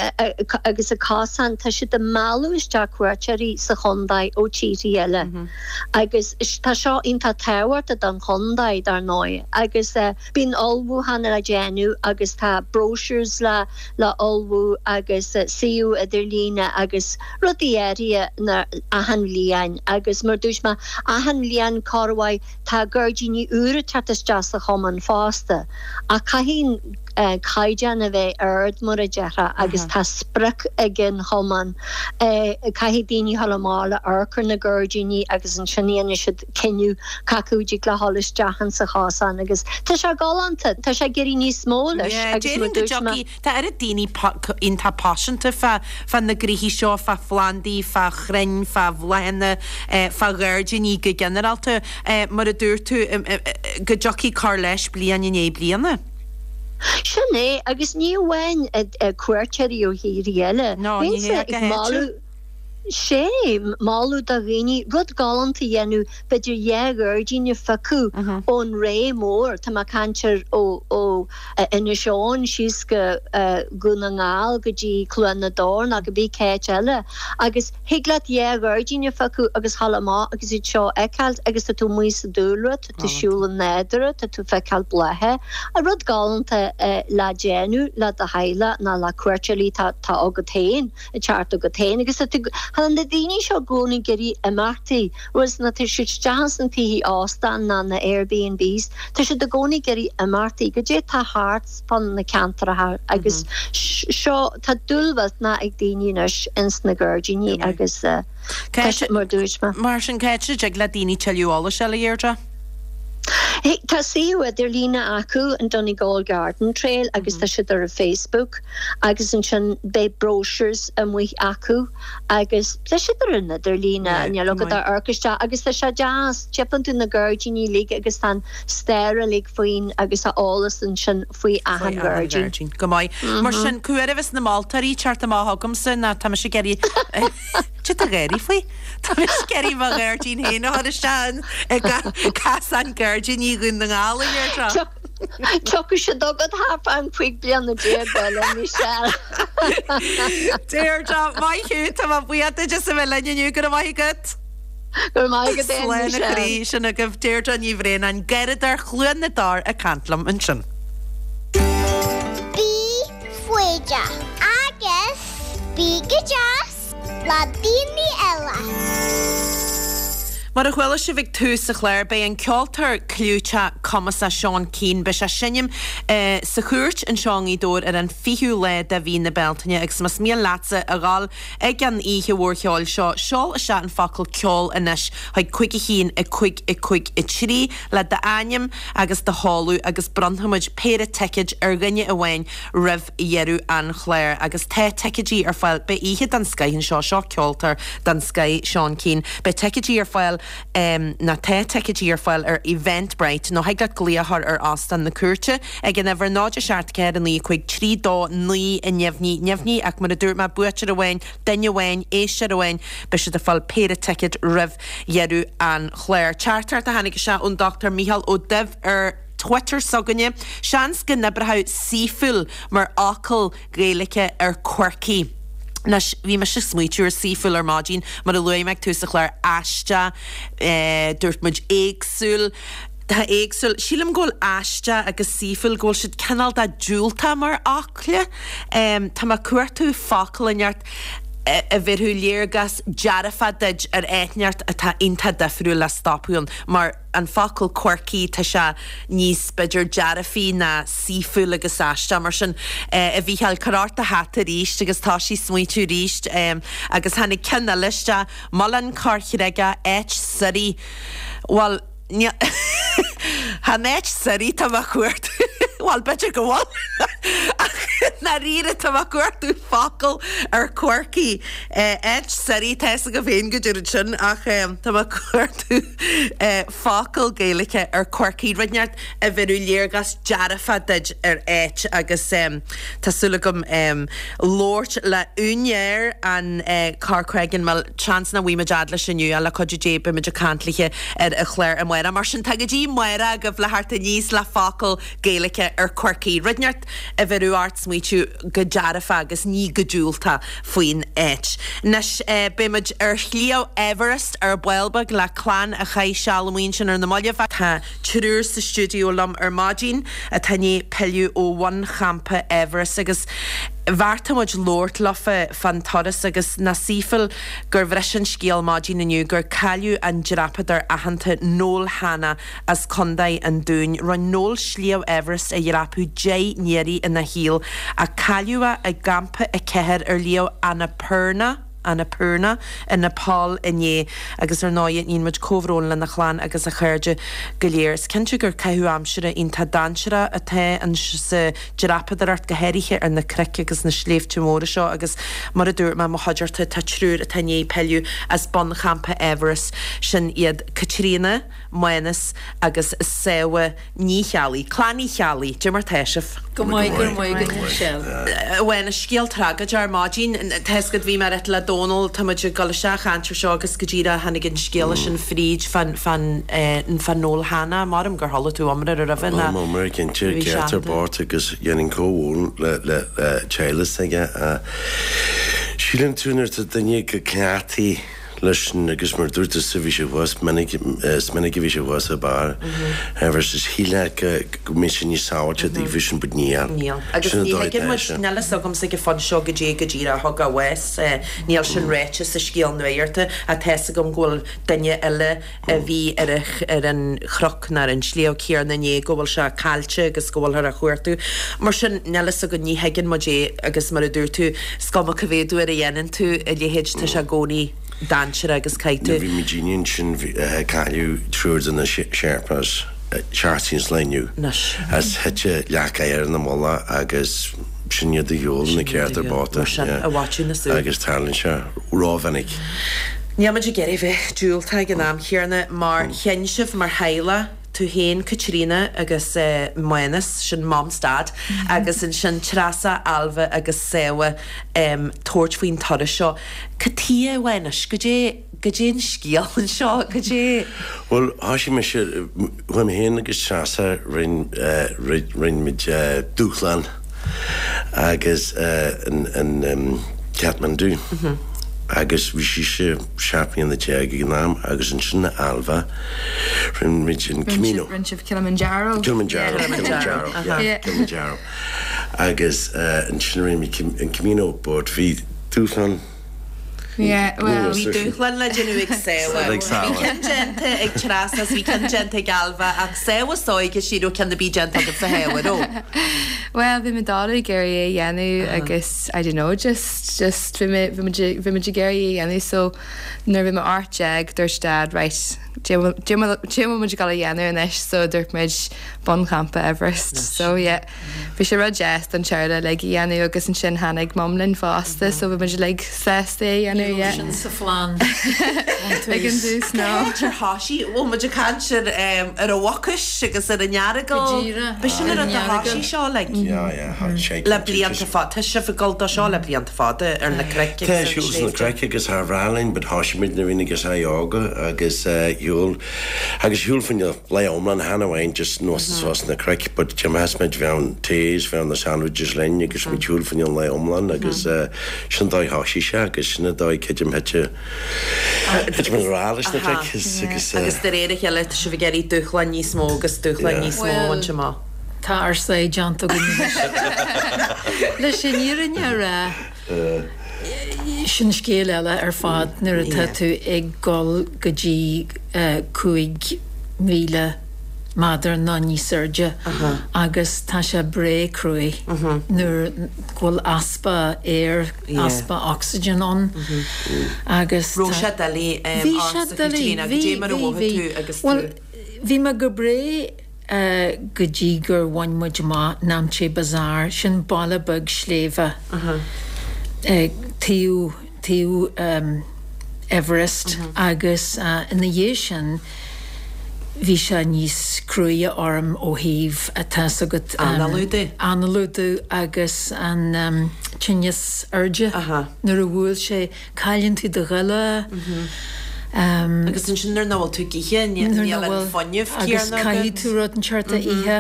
agus na cosáin, tá siad ag mealladh isteach cuairteoirí sa chontae ó tíorthaí eile agus tá seo iontach tábhachtach don chontae, dar ndóigh, agus. Bíonn ullmhúchán le déanamh agus tá brochures le le ullmhú agus suíomh idirlíne agus rudaí áirithe na achan bhliain agus mar dúirt mé achan bhliain corruair tá gairdíní úra ag teacht isteach sa chumann fosta ach caithfidh an caighdeán a bheith ard mar a déarfá agus tá sprioc ag an chumann caithfidh daoine a dhul amach le amharc ar na gairdíní agus ansin dhéanfaidh siad cinneadh cé acu a dtig le dhul isteach insa chosán agus tá sé galánta, tá sé ag éirí níos mó leis Yeah, agus mar déarfainn go dúirt mé. dtiocfaidh, tá oiread daoine iontach paiseanta fá, fá na gnoithí seo, fá phlandaí, fá chrainn, fá bhláthanna, fá ghairdíní go ginearálta, mar a dúirt tú, go dtiocfaidh cur leis bliain i ndiaidh bliana. Sin é, agus ní amháin cuairteoirí ó thíorthaí eile, No, ní bhínnse hea, go ag háitiúil. moladh, Sé, moladh do dhaoine rud galánta a dhéanamh, b'fhéidir dhá ghairdín a phiocadh ón ré mór, tá mé ag caint ar ó ó Inis Eoghain síos go Dhún na nGall go dtí Cluain na dTor nó cibé cá háit eile, agus thig leat dhá ghairdín a phiocadh agus dhul amach agus iad seo a fheiceáilt agus tá tú amuigh sa dúlra, tá tú ag siúl an nádúr, tá tú ag feiceáil blátha, rud galánta le déanamh le do theaghlach nó le cuairteoirí atá agat féin. ag teacht chugat féin agus tá tá na daoine seo i gcónaí ag iarraidh imeachtaí whereas nuair atá siad isteach ins na tithe óstán ná na Airbnbs tá siad i gcónaí ag iarraidh imeachtaí goidé tá thart fán na ceantracha agus seo tá dúil mhillteanach ag daoine anois ins na gairdíní agus tá sé mar dúirt mé. Mar sin cá háit a dtig le daoine tuilleadh eolais a fháil a Dheirdre? Tá suíomh idirlíne acu, an Donegal Garden Trail, agus tá siad ar an Facebook agus ansin beidh brochures amuigh acu agus tá siad ar an idirlíne, níl agat ach amharc isteach agus tá sé deas, tchíonn tú na gairdíní uilig agus tá an stair uilig faoin agus tá eolas ansin faoi achan ghairdín. Go maith. Mar sin, cá huair a bheas na moltóirí ag teacht amach chugamsa ná tá mise ag iarraidh Cad tá gáirí faoi? Tá mise ag iarraidh mo ghairdín féin a chur isteach i gcasán gairdíní Dhún na nGall, a Dheirdre. Tiocfaidh siad chugat thart fán 15 bliana eile, Michelle. Deirdre, maith thú, tá mé buíoch duit as a bheith linn inniu, go raibh maith agat. Go raibh maith agat féin, Slán a Michelle. chroí, sin agaibh Deirdre Ní Bhraonáin, garradóir Chluain na dTor ag caint liom ansin. Bí foighdeach agus bí go deas le daoine eile. Mar a chuala sibh ag tús an chláir, beidh an ceoltóir clúiteach cumasach Seán Keane, beidh sé ag seinm sa Chúirt anseo i nGaoth Dobhair ar an 20ú lá de mhí na Bealtaine agus más mian leatsa a dhul ag an oíche mhór cheoil seo, seol isteach an focal ceol anois chuig 5 1 5 5 3 le d'ainm agus do sheoladh agus bronnfaimid péire ticéid ar dhuine amháin roimh dheireadh an chláir agus tá ticéidí ar fáil. Beidh oíche den scoith anseo, seo ceoltóir den scoith, Seán Keane. Beidh ticéidí ar fáil, nó tá ticéidí ar fáil ar Eventbrite nó thig leat glaoch a chur ar Óstán na Cúirte ag an uimhir 0 7 4 9 5 3 2 9 neamhní neamhní ach mar a dúirt mé, buaiteoir amháin, duine amháin, éisteoir amháin, beidh siad ag fáil péire ticéad roimh dheireadh an chláir. Teachtaireacht a tháinig isteach ón Dr Micheál Ó Duibh ar. Twitter s'againne, seans go n-oibreodh saoithiúil mar fhocal Gaeilge ar quirky. Anois, bhí mise ag smaoitiú ar saoithiúil ar maidin, mar a luaigh mé ag tús an chláir, aisteach, dúirt muid éagsúil, tá éagsúil, sílim go bhfuil aisteach agus saoithiúil, go bhfuil siad cineál de diúltach mar fhocla. Tá mé ag cuartú focal inteacht. A bhéarfadh léargas dearfach duit ar áit inteacht atá iontach difriúil le stopadh ann, mar an focal quirky, tá sé níos, b'fhéidir, dearfaí ná saoithiúil agus aisteach. Mar sin, a Mhícheáil, cuir ort do hata arís agus toisigh smaoitiú arís. Agus tháinig ceann eile isteach, Muileann Corr Shligeach, áit suirí. Bhuel, Níl. Chan áit suirí atá mé a chuartú. Bhuel, b'fhéidir go bhfuil. Ach i ndáiríre, tá mé ag cuartú focal ar quirky. Áit suirí, tá fhios agam féin go deirid sin, ach tá mé ag cuartú focal Gaeilge ar quirky. Rud inteacht a bhéarfadh léargas dearfach duit ar áit agus tá súil agam labhairt le úinéir an Corcreggan Mill. Seans nach bhfaighidh muid fhad leis inniu ach le cuidiú Dé beidh muid ag caint léithe ar an chlár amárach. Mar sin tá go dtí amárach agaibh le theacht aníos le focal Gaeilge ar quirky. Rud inteacht a bhéarfadh ort smaoitiú go dearfach agus ní go diúltach faoin áit. Anois beidh muid ar Shliabh Everest ar ball beag le clann a chaith seal amuigh ansin ar na mallaibh. Tá triúr sa stiúideo liom ar maidin atá i ndiaidh pilleadh ó bhunchampa Everest agus bheartaigh muid labhairt leofa fán turas agus nach saoithiúil gur bhris an scéal maidin inniu gur cailleadh an dreapadóir aitheanta Noel Hanna as Contae an Dúin. Rinne Noel Sliabh Everest a dhreapadh 10 n-iarraidh ina shaol ach cailleadh é i gCampa 4 ar Shliabh Annapurna. Annapurna i Nepal inné agus ar ndóigh níonn muid comhbhrón lena chlann agus a chairde go léir. Is cinnte gur caitheamh aimsire iontach dainséarach atá sa dreapadóireacht, go háirithe ar na cnoic agus na sléibhte móra seo agus mar a dúirt mé, mo chuideachta, tá triúr atá i ndiaidh pilleadh as bunchampa Everest, sin iad Caitríona, Mánas agus Sábha. Ní Cheallaigh. Clann Uí Cheallaigh, Cad é mar tá sibh? Go maith, go raibh maith agat Michelle. Bhuel, scéal tragóideach ar maidin. Tá fhios agat, bhí mé ag ráit le Dónal, tá muid ag dul isteach a chaint ar seo agus go díreach tháinig an scéala sin fríd fán, fán, fán Noel Hanna. Maram gur chuala tú iomrá roimhe ná. Chuala mé iomrá cinnte, ceart ar bord agus dhéanfainn comhbhrón le, le, le teaghlach s'aige. Síleann tú nuair atá duine go cleachtaithe leis sin agus mar dúirt tusa bhí sé thuas minic, is minic a bhí sé thuas ag barr Everest is shílfeá go go mbeadh sé níos sábháilte daofa sin but níl. Níl. Agus Sin an ní dóigh thuigeann atá muid, sé. níl fhios agamsa ag an phointe seo goidé go díreach a thug a bhás, níl sin ráite sa scéal nuachta ach tá fhios agam go bhfuil duine eile a bhí ar ar an chnoc nó ar an sliabh céanna inné go bhfuil sé caillte agus go bhfuilthear á chuartú. Mar sin, níl fhios againn, ní thuigeann muid é agus mar a dúirt tú, is cuma cá mhéad uair a dhéanann tú a leithéid, tá sé i gcónaí dainséarach agus caithfidh Nuair tú. bhí muidinne ansin cailleadh triúr de na Sherpas seachtain sa lá inniu. Anois. As thit leac oighir ina mullach agus sin iad a shiúl na céadta babhta. Mar sin, a mhaitiú na súl. Agus tarlaíonn sé rómhinic. Níl muid ag iarraidh bheith diúltach ag an am chéanna mar chinn sibh mar theaghlach, tú féin Caitríona agus Mánas, sin Mam 's Dad, agus ansin Treasa, Ailbhe agus Sábha tabhairt faoin turas seo. Cad tuighe, a Mhánais, goidé, goidé an scéal anseo, goidé. Bhuel, thoisigh mise, chuaigh mé féin agus Treasa, rinn, rinn muid dúshlán agus in Kathmandu agus bhí sise 17 mbliana ag an am agus ansin Ailbhe, rinne muid an Camino. Rinne sibh Kilimanjaro. Kilimanjaro, Kilimanjaro, yeah, Kilimanjaro. Agus ansin rinne muid an Camino but bhí dúshlán Yeah, well, Bhí dúshlán le déanamh ag Sábha. Ag Sábha. Bhí ceann déanta ag Treasa is bhí ceann déanta ag Ailbhe ach Sábha is óige ní raibh ceann ar bith déanta agat a Shábha, raibh? Well, bhí mé dáiríre ag iarraidh é a dhéanamh agus I don't know, just, just bhí mé, bhí muid, bhí muid ag iarraidh é a dhéanamh so nuair a bhí mé 18 dúirt Dad right, cad é a bhfuil muid ag dul a dhéanamh anois so dúirt muid bunchampa Everest so yeah. Bhí sé rud deas don teaghlach uilig a dhéanamh agus ansin tháinig Mum linn fosta so bhí muid uilig sásta é a dhéanamh, Ní raibh yeah. sin sa phlean ón Ag an tús. dtús, no. Cá háit ar thoisigh? Bhfuil muid ag caint ar ar an Mhucais agus ar an Earagail? Go díreach, B'shin ar an an rud a Earagail. thoisigh seo like. Yeah, yeah, sé Le blianta fada. Tá sibh ag dul dó seo le blianta fada ar na cnoic Tá agus ar na siúl sna sléibhte. cnoic agus thar bhreá linn but thoisigh muid nuair a bhí na gasúir óga agus shiúl agus shiúl faoin Lá iomlán chan amháin just anuas is suas na cnoic but d'imtheas muid bheadh an tae is bheadh na sandwiches linn agus muid shiúl fá choinne an lae iomlán agus sin dóigh thoisigh sé agus sin an dóigh creidim thit thit muid i ngrá leis na cnoic is agus Agus de réir a chéile tá sibh ag iarraidh dúshláin níos mó agus dúshláin níos mó a bhaint amach. Bhuel, tá ár sáith déanta againn anois. Leis an fhírinne a rá. Sin scéal eile ar fad nuair atá tú ag dul go dtí 5,000 méadar nó níos airde agus tá sé breá cruaidh nuair go bhfuil easpa aeir, easpa ocsaigin ann agus tá. Raibh sé doiligh ortsa Caitríona, goidé mar a mhothaigh tú agus tú. Bhuel, bhí mé go breá. go dtí gur bhain muid amach Namche Bazaar, sin baile beag sléibhe taobh taobh Everest agus ina dhiaidh sin bhí sé níos cruaidhe orm ó thaobh tá's agat Análú de. análú de agus an tinneas airde nuair a bhuail sé Cailleann tú do ghoile. Agus ansin nuair nach bhfuil tú ag ithe, níl an fuinneamh céanna agat. Agus caithfidh tú rud inteacht a ithe.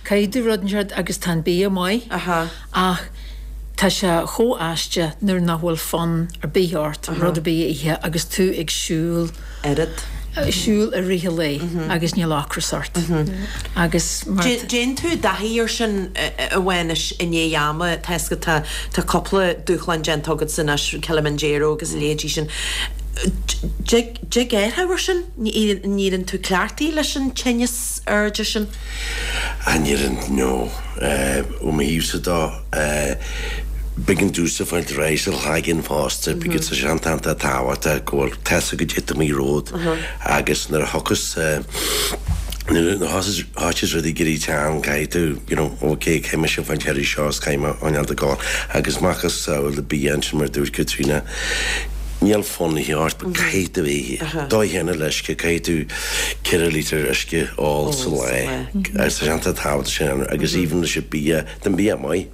Caithfidh tú rud inteacht agus tá an bia maith ach tá sé chomh aisteach nuair nach bhfuil fonn ar bith ort rud ar bith a ithe agus tú ag siúl. Oiread. Siúl i rith an lae agus níl ocras ort. Agus mar. Dtéann tú i dtaithí air sin a Mhánuis i ndiaidh ama, tá 'fhios agat tá cúpla dúshlán déanta agatsa anois, Kilimanjaro agus a leithéidí sin. Dtig athrú air sin? N-éiríonn tú cleachtaithe leis an tinneas airde sin? Ní éiríonn, no. Ó mo thaobhsa dó, b'éigean domhsa fáilt ar aghaidh sa chloigeann fosta because tá sé iontach tábhachtach go bhfuil tá's agat goidé atá amuigh romhat agus nuair a thiocfas nuair a thosaíos rudaí ag éirí teann caithfidh tú you know ok caithfidh mise fáilt thar seo is caithfidh mé choinneáil ag gabháil agus macasamhail bia ansin mar a dúirt Caitríona níl fonn ort but caithfidh tú é a ithe. Dóigh chéanna le uisce caithfidh tú 4 lítear uisce a ól sa lá agus tá sé iontach tábhachtach sin agus even leis an bia tá an bia maith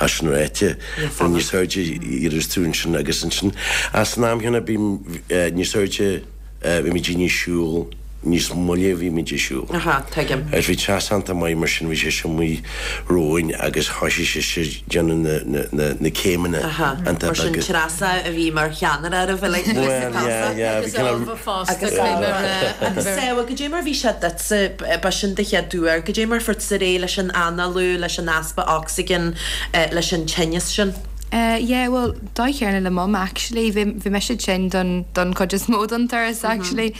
as sin ráite but níos airde a éireos tú ansin agus ansin as an am chéanna bím níos airde bhí muid ag siúl níos moille a bhí muid ag siúl. Aha, tuigim. Agus bhí treas iontach maith mar sin bhí sé sin amuigh romhainn agus thoisigh sise ag déanamh na, na, na, na céimeanna Aha, iontach mar sin beaga. Treasa a bhí mar cheannaire oraibh uilig Bhuel, yeah, yeah, bhí Agus cineál. Ailbhe fosta, Agus caithfidh mé a Ailbhe. rá, an Agus bheirt. Sábha, goidé mar bhí sé duitse, b'shin do chéad uair, goidé mar fuair tusa ar aghaidh leis an análú, leis an easpa ocsaigin, leis an tinneas sin? Yeah, bhuel, dóigh chéanna le Mum actually, bhí, bhí mise tinn don, don chuid is mó don turas actually.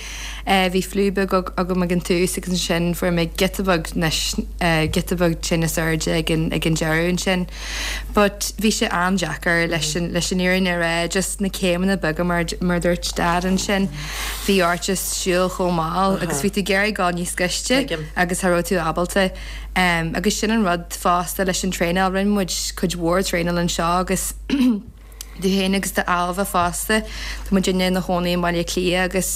Bhí fliú beag agam ag an tús agus ansin fuair mé giota beag anois, giota beag tinneas airde ag an, ag an deireadh ansin. But bhí sé an-deacair leis an, leis an fhírinne a rá, just na céimeanna beaga mar, mar a dúirt Dad ansin, bhí ort just siúl chomh mall agus bhí tú ag iarraidh dul níos gaiste agus cha raibh tú ábalta. Agus sin an rud fosta leis an traenáil, rinne muid cuid mhór traenáil anseo agus tú féin agus d'Ailbhe fosta, tá muidinne ina chónaí i mBaile Átha Cliath agus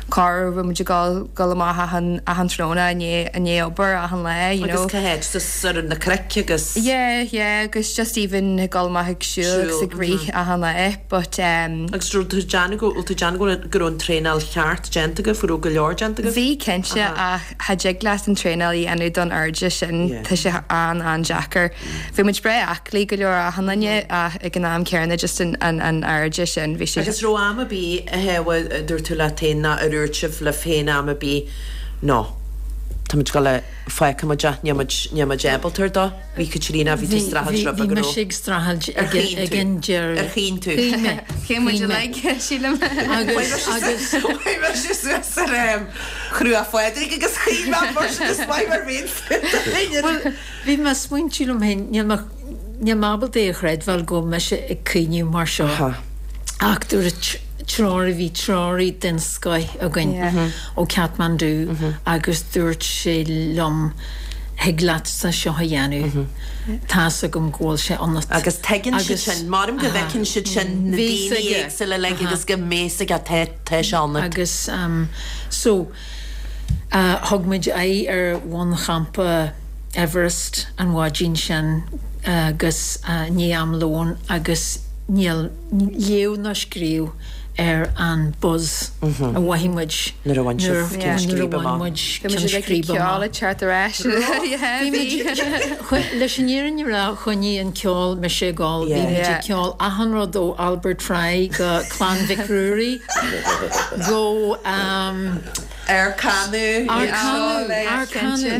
corruair bhí muid ag dul dul amach achan achan tráthnóna i ndiaidh i ndiaidh obair achan lá, you know. Agus cá háit just ar na cnoic agus. Yeah, yeah agus just even ag dul amach ag siúl agus ag rith achan lá but um. Agus raibh tú ag déanamh go, bhfuil tú ag déanamh go raibh go raibh an traenáil cheart déanta agaibh, go raibh go leor déanta agaibh? Bhí cinnte ach Cha dtig leat an traenáil a dhéanamh don airde sin, tá sé an-an-deacair. Bhí muid breá aclaí go leor achan duine ach ag an am céanna just an an airde sin, bhí sé. Agus raibh am ar bith a Shéabha, dúirt tú leat féin nó ar dhúirt sibh libh féin am ar bith, no, tá muid ag dul a, fágfaidh muid é, níl muid, níl muid ábalta ar dó. Bhí Caitríona, bhí tú ag streachailt roimhe Bhí go raibh. mise ag streachailt Ar chaoin ag tú? an deireadh. Ar chaoin tú? Chaoin mé. Chaoin muid Chaoin mé. uilig, sílim. Agus, agus. Chuaigh mise suas ar Chruach Phádraig agus chaoin mé mar sin is maith mar bhíonn Bhuel, bhí mé ag smaointiú liom féin, níl mé, níl mé ábalta é a chreidbheáil go bhfuil mise ag caoineadh mar seo. Ach dúirt treoraí, bhí treoraí den scoith againn ó Kathmandu agus dúirt sé liom, thig leatsa seo a dhéanamh, tá's agam go bhfuil sé ionat. Agus tuigeann siad sin, maram go bhfeiceann siad sin na daoine éagsúla uilig agus go mbeidh 's aige tá tá sé ionat. Agus so thug muid aghaidh ar bhunchampa Everest an mhaidin sin agus i ndiaidh am lóin agus níl léamh ná scríobh ar an buzz a mhothaigh muid Nuair a bhain sibh ceann nuair a scríbe bhain amach. muid Bhí muid ceann uilig ag scríbe ceol amach. ag teacht ar ais. Bhí muid, leis an fhírinne a rá, choinnigh an ceol mise ag gol. Bhí muid ag ceol achan rud ó Albert Fry go Clann Mhic Ruairí go. Ar canadh Ar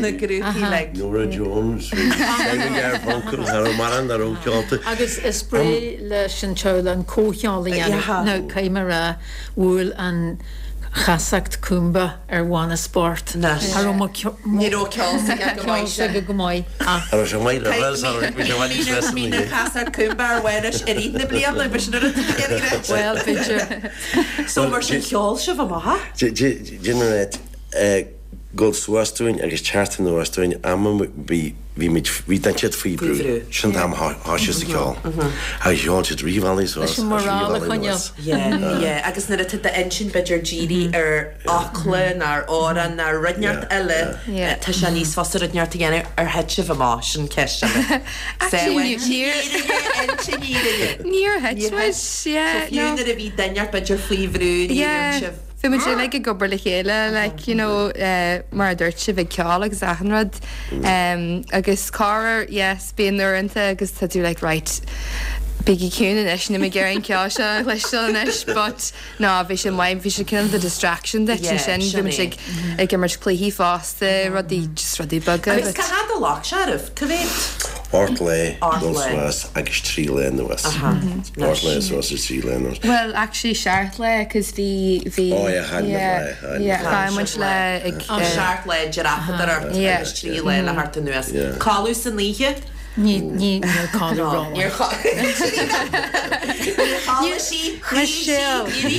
na grúpaí uilig. Norah Jones, bhí Simon Garfunkel, cha raibh mórán nach raibh ceolta. Agus is breá leis an teaghlach an comhcheol a dhéanamh. Now, caithfidh mé a rá, bhuail an chasacht Coombe ar Mhánas bocht. Cha raibh mo Ní raibh ceol s'aige go maith ceol s'aige go maith ach. Cha raibh sé maith le bheith sa bhí sé bhfad níos measa na chasacht Coombe ar Mhánas i rith na bliana, b'shin an rud a bhí ag rá. Bhuel, b'fhéidir. So mar sin cheol sibh amach? Déanann dul suas dúinn agus teacht anuas dúinn am a bhí bhí muid bhí den siad faoi bhrú sin an t-am a thoisigh sa cheol agus cheol siad rith bhealaigh suas Leis an agus rith morale a bhealaigh choinneáil. anuas. Yeah, yeah, agus nuair atá d'intinn b'fhéidir dírithe ar fhocla nó ar amhrán nó ar rud inteacht eile, tá sé níos fusa rud inteacht a dhéanamh ar thit sibh amach, sin ceist eile. Actually, níor intinn fhírinne. Níor thit muid, yeah, So fiú no. nuair a bhí duine inteacht b'fhéidir faoi bhrú ní raibh sibh. Bhí muid uilig ag obair le chéile, like, you know, mar a dúirt sibh, ag ceol agus achan rud. Agus corruair, yes, bíonn uaireanta agus tá tú like, right, bígí ciúin anois, níl mé ag iarraidh an ceol seo a chloisteáil anois, but no, bhí sé maith, bhí sé cineál de distraction duit ansin, bhí muid ag ag imirt cluichí fosta, rudaí, just rudaí beaga. Agus cá fhad a ghlac sé oraibh? Cá mhéad? Ocht lá dul suas agus 3 lá anuas. Ocht lá suas agus 3 lá anuas. Well, actually seacht lá, cos bhí, bhí, Oh yeah, chaill muid lá, chaill muid yeah, lá. chaill muid lá ag, Oh, seacht lá dreapadóireacht agus 3 lá le theacht anuas. Codladh san oíche? Ní, ní, níl codladh romhainn. Níor chodlaigh sí, chroí sí, ní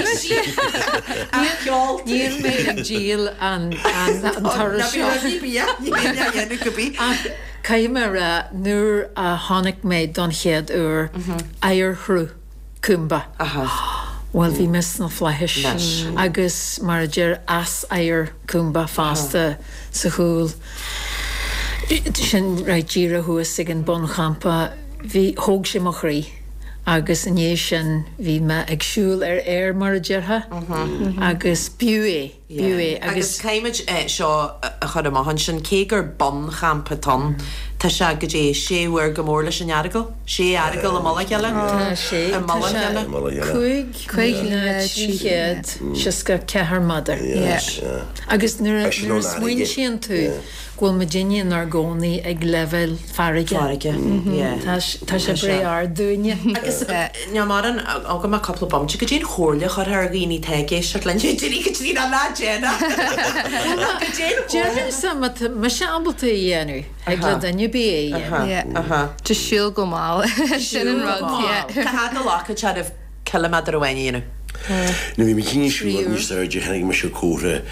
raibh sí ach ceol. Níl mé ag díol an, an, an turas seo. Ná bí bia, ní bhíonn á dhéanamh go bith. Ach caithfidh mé a rá, nuair a chonaic mé don chéad uair oighearshruth Khumbu, bhuel, bhí mé sna flaithis. Agus mar a deir eas-oighear Khumbu fosta sa chúl, sin right díreach thuas ag an bunchampa, bhí, thóg sé mo chroí. Agus i ndiaidh sin bhí mé ag siúl ar aer mar a déarfá agus b'fhiú é. B'fhiú é. Agus caithfimid seo a chur amach ansin, cé gur bunchampa atá ann, tá sé go dté sé uair chomh mór leis an Earagail? Sé Earagail i mullach a chéile? Tá sé. I mullach a chéile? 5,364 méadar. Agus nuair a smaointíonn tú go bhfuil muidinne inár gcónaí ag leibhéal farraige. Farraige, yeah. Tá tá sé breá ard dúinne. Agus níl mórán agam ach cúpla bomaite, goidé an chomhairle a chuirfeá ar dhaoine atá ag éisteacht linn, Deirí go dtí ná déana. Goidé an chomhairle. Déarfainnse má tá mise ábalta é a dhéanamh, thig le duine ar bith é a dhéanamh. Yeah. Just siúl go mall. Sin an rud, yeah. Cá fhad a ghlacann sé oraibh ciliméadar amháin a dhéanamh. Nuair a bhí mé ag siúl níos airde chonaic mise comhartha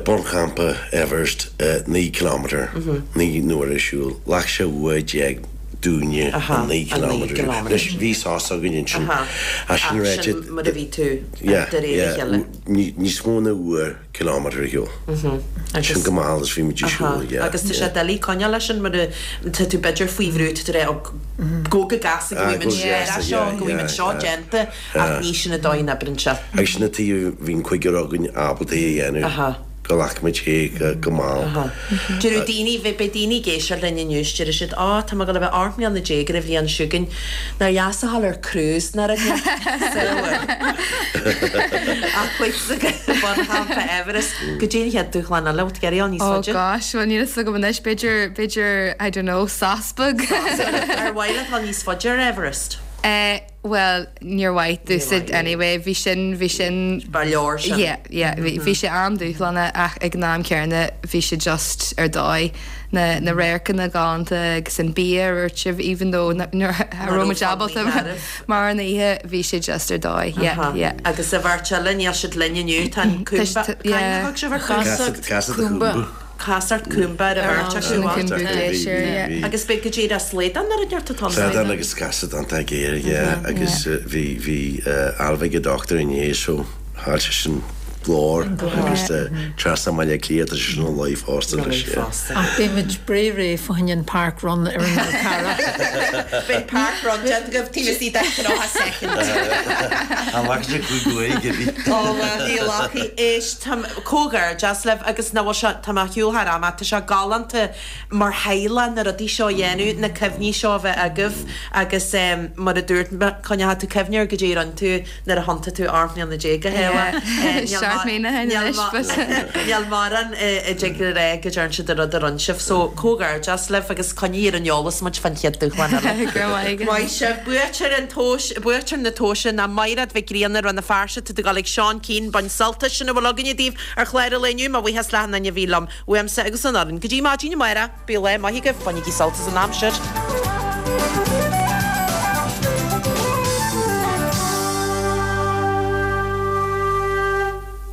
bunchampa Everest 9 kilometre, 9 n-uaire siúil. Ghlac sé uair déag dúinne an 9 kilometre. Anois bhí sos againn ansin. Ach sin ráite, Sin mar a bhí tú de réir a chéile. Níos mó ná uair kilometre ar shiúl. Sin go mall is bhí muid ag siúl, yeah. Agus tá sé doiligh coinneáil leis sin mar tá tú b'fhéidir faoi bhrú, tá tú ag rá go go gasta go bhfuil muid ar seo, go bhfuil muid seo déanta ach ní sin an dóigh a n-oibríonn sé. Agus sin an tuige bhí an cúigear againn ábalta é a dhéanamh. Go ghlac muid é go mall. Deireadh daoine, beidh daoine ag éisteacht linn inniu is déarfaidh siad, Á, tá mé ag dul a bheith 18 mbliana ar an bhliain seo chugainn, nár dheas a dhul ar cruise nó rud Ach chuig bunchampa Everest, goidé an chéad dúshlán eile, bhfuil tú ag iarraidh a dhul níos Oh faide? gosh, bhuel níl a fhios agam anois, b'fhéidir, b'fhéidir, I don't know, sos beag. Ar mhaith leat a dhul níos faide ar Everest? Eh, Bhuel, níor mhaith domhsa anyway, bhí sin, bhí sin. Ba leor sin. Yeah, yeah, bhí, bhí sé an-dúshlánach ach ag an am céanna bhí sé just ar dóigh. Na, na radharcanna galánta agus an bia a dúirt sibh, even though nach raibh muid ábalta mórán a ithe, bhí sé just ar dóigh, yeah, yeah. Agus an bheirt eile, níl siad linn inniu, tá an Khumbu, yeah, thug sibh ar Casacht Khumbu. Casacht Khumbu ar an bheirt acu. Khumbu Glacier, yeah. Agus beidh goidé ar slaghdán ar an neart atá ann. Slaghdán agus casadh iontach géar, yeah, agus bhí, bhí Ailbhe ag an dochtúir inné so chaill seisean glór agus trasna i mBaile Átha Cliath tá seisean ina luí fosta anois, yeah. Ach beidh muid breá réidh fá choinne an park run ar an Fhál Carrach. Beidh park run déanta agaibh taobh istigh de 30 soicind. An bhfaca sé cúig uair, Gibby? Ó bhuel, ní ghlacfaidh. Éist, táim. Comhghairdeas libh agus nach bhfuil sé, tá mé ar shiúl thar am ach tá sé galánta mar theaghlach na rudaí seo a dhéanamh, na cuimhní seo a bheith agaibh agus mar a dúirt mé, coinneoidh tú cuimhne ar goidé a rinne tú nuair a thiontaigh tú 18 mbliana a Shéaghdha. Níl neart mínithe anois but. Níl mórán a dtig le rá go dtearn siad an rud a rinne sibh so comhghairdeas libh agus coinnigh ar an eolas muid fán chéad dúshlán eile. Go raibh maith agat. Maith sibh. Buaiteoir an tomhais, buaiteoir na tomhaise ná Maighread Mhic Grianna, Rann na Feirste, tá tú ag dul ag Seán Keane, bain sult as. Sin a bhfuil againne daoibh ar chlár an lae inniu. Mo bhuíochas le achan duine a bhí liom, uaimse agus an fhoireann. Go dtí maidin amárach, bíodh lá maith agaibh, bainigí sult as an aimsir.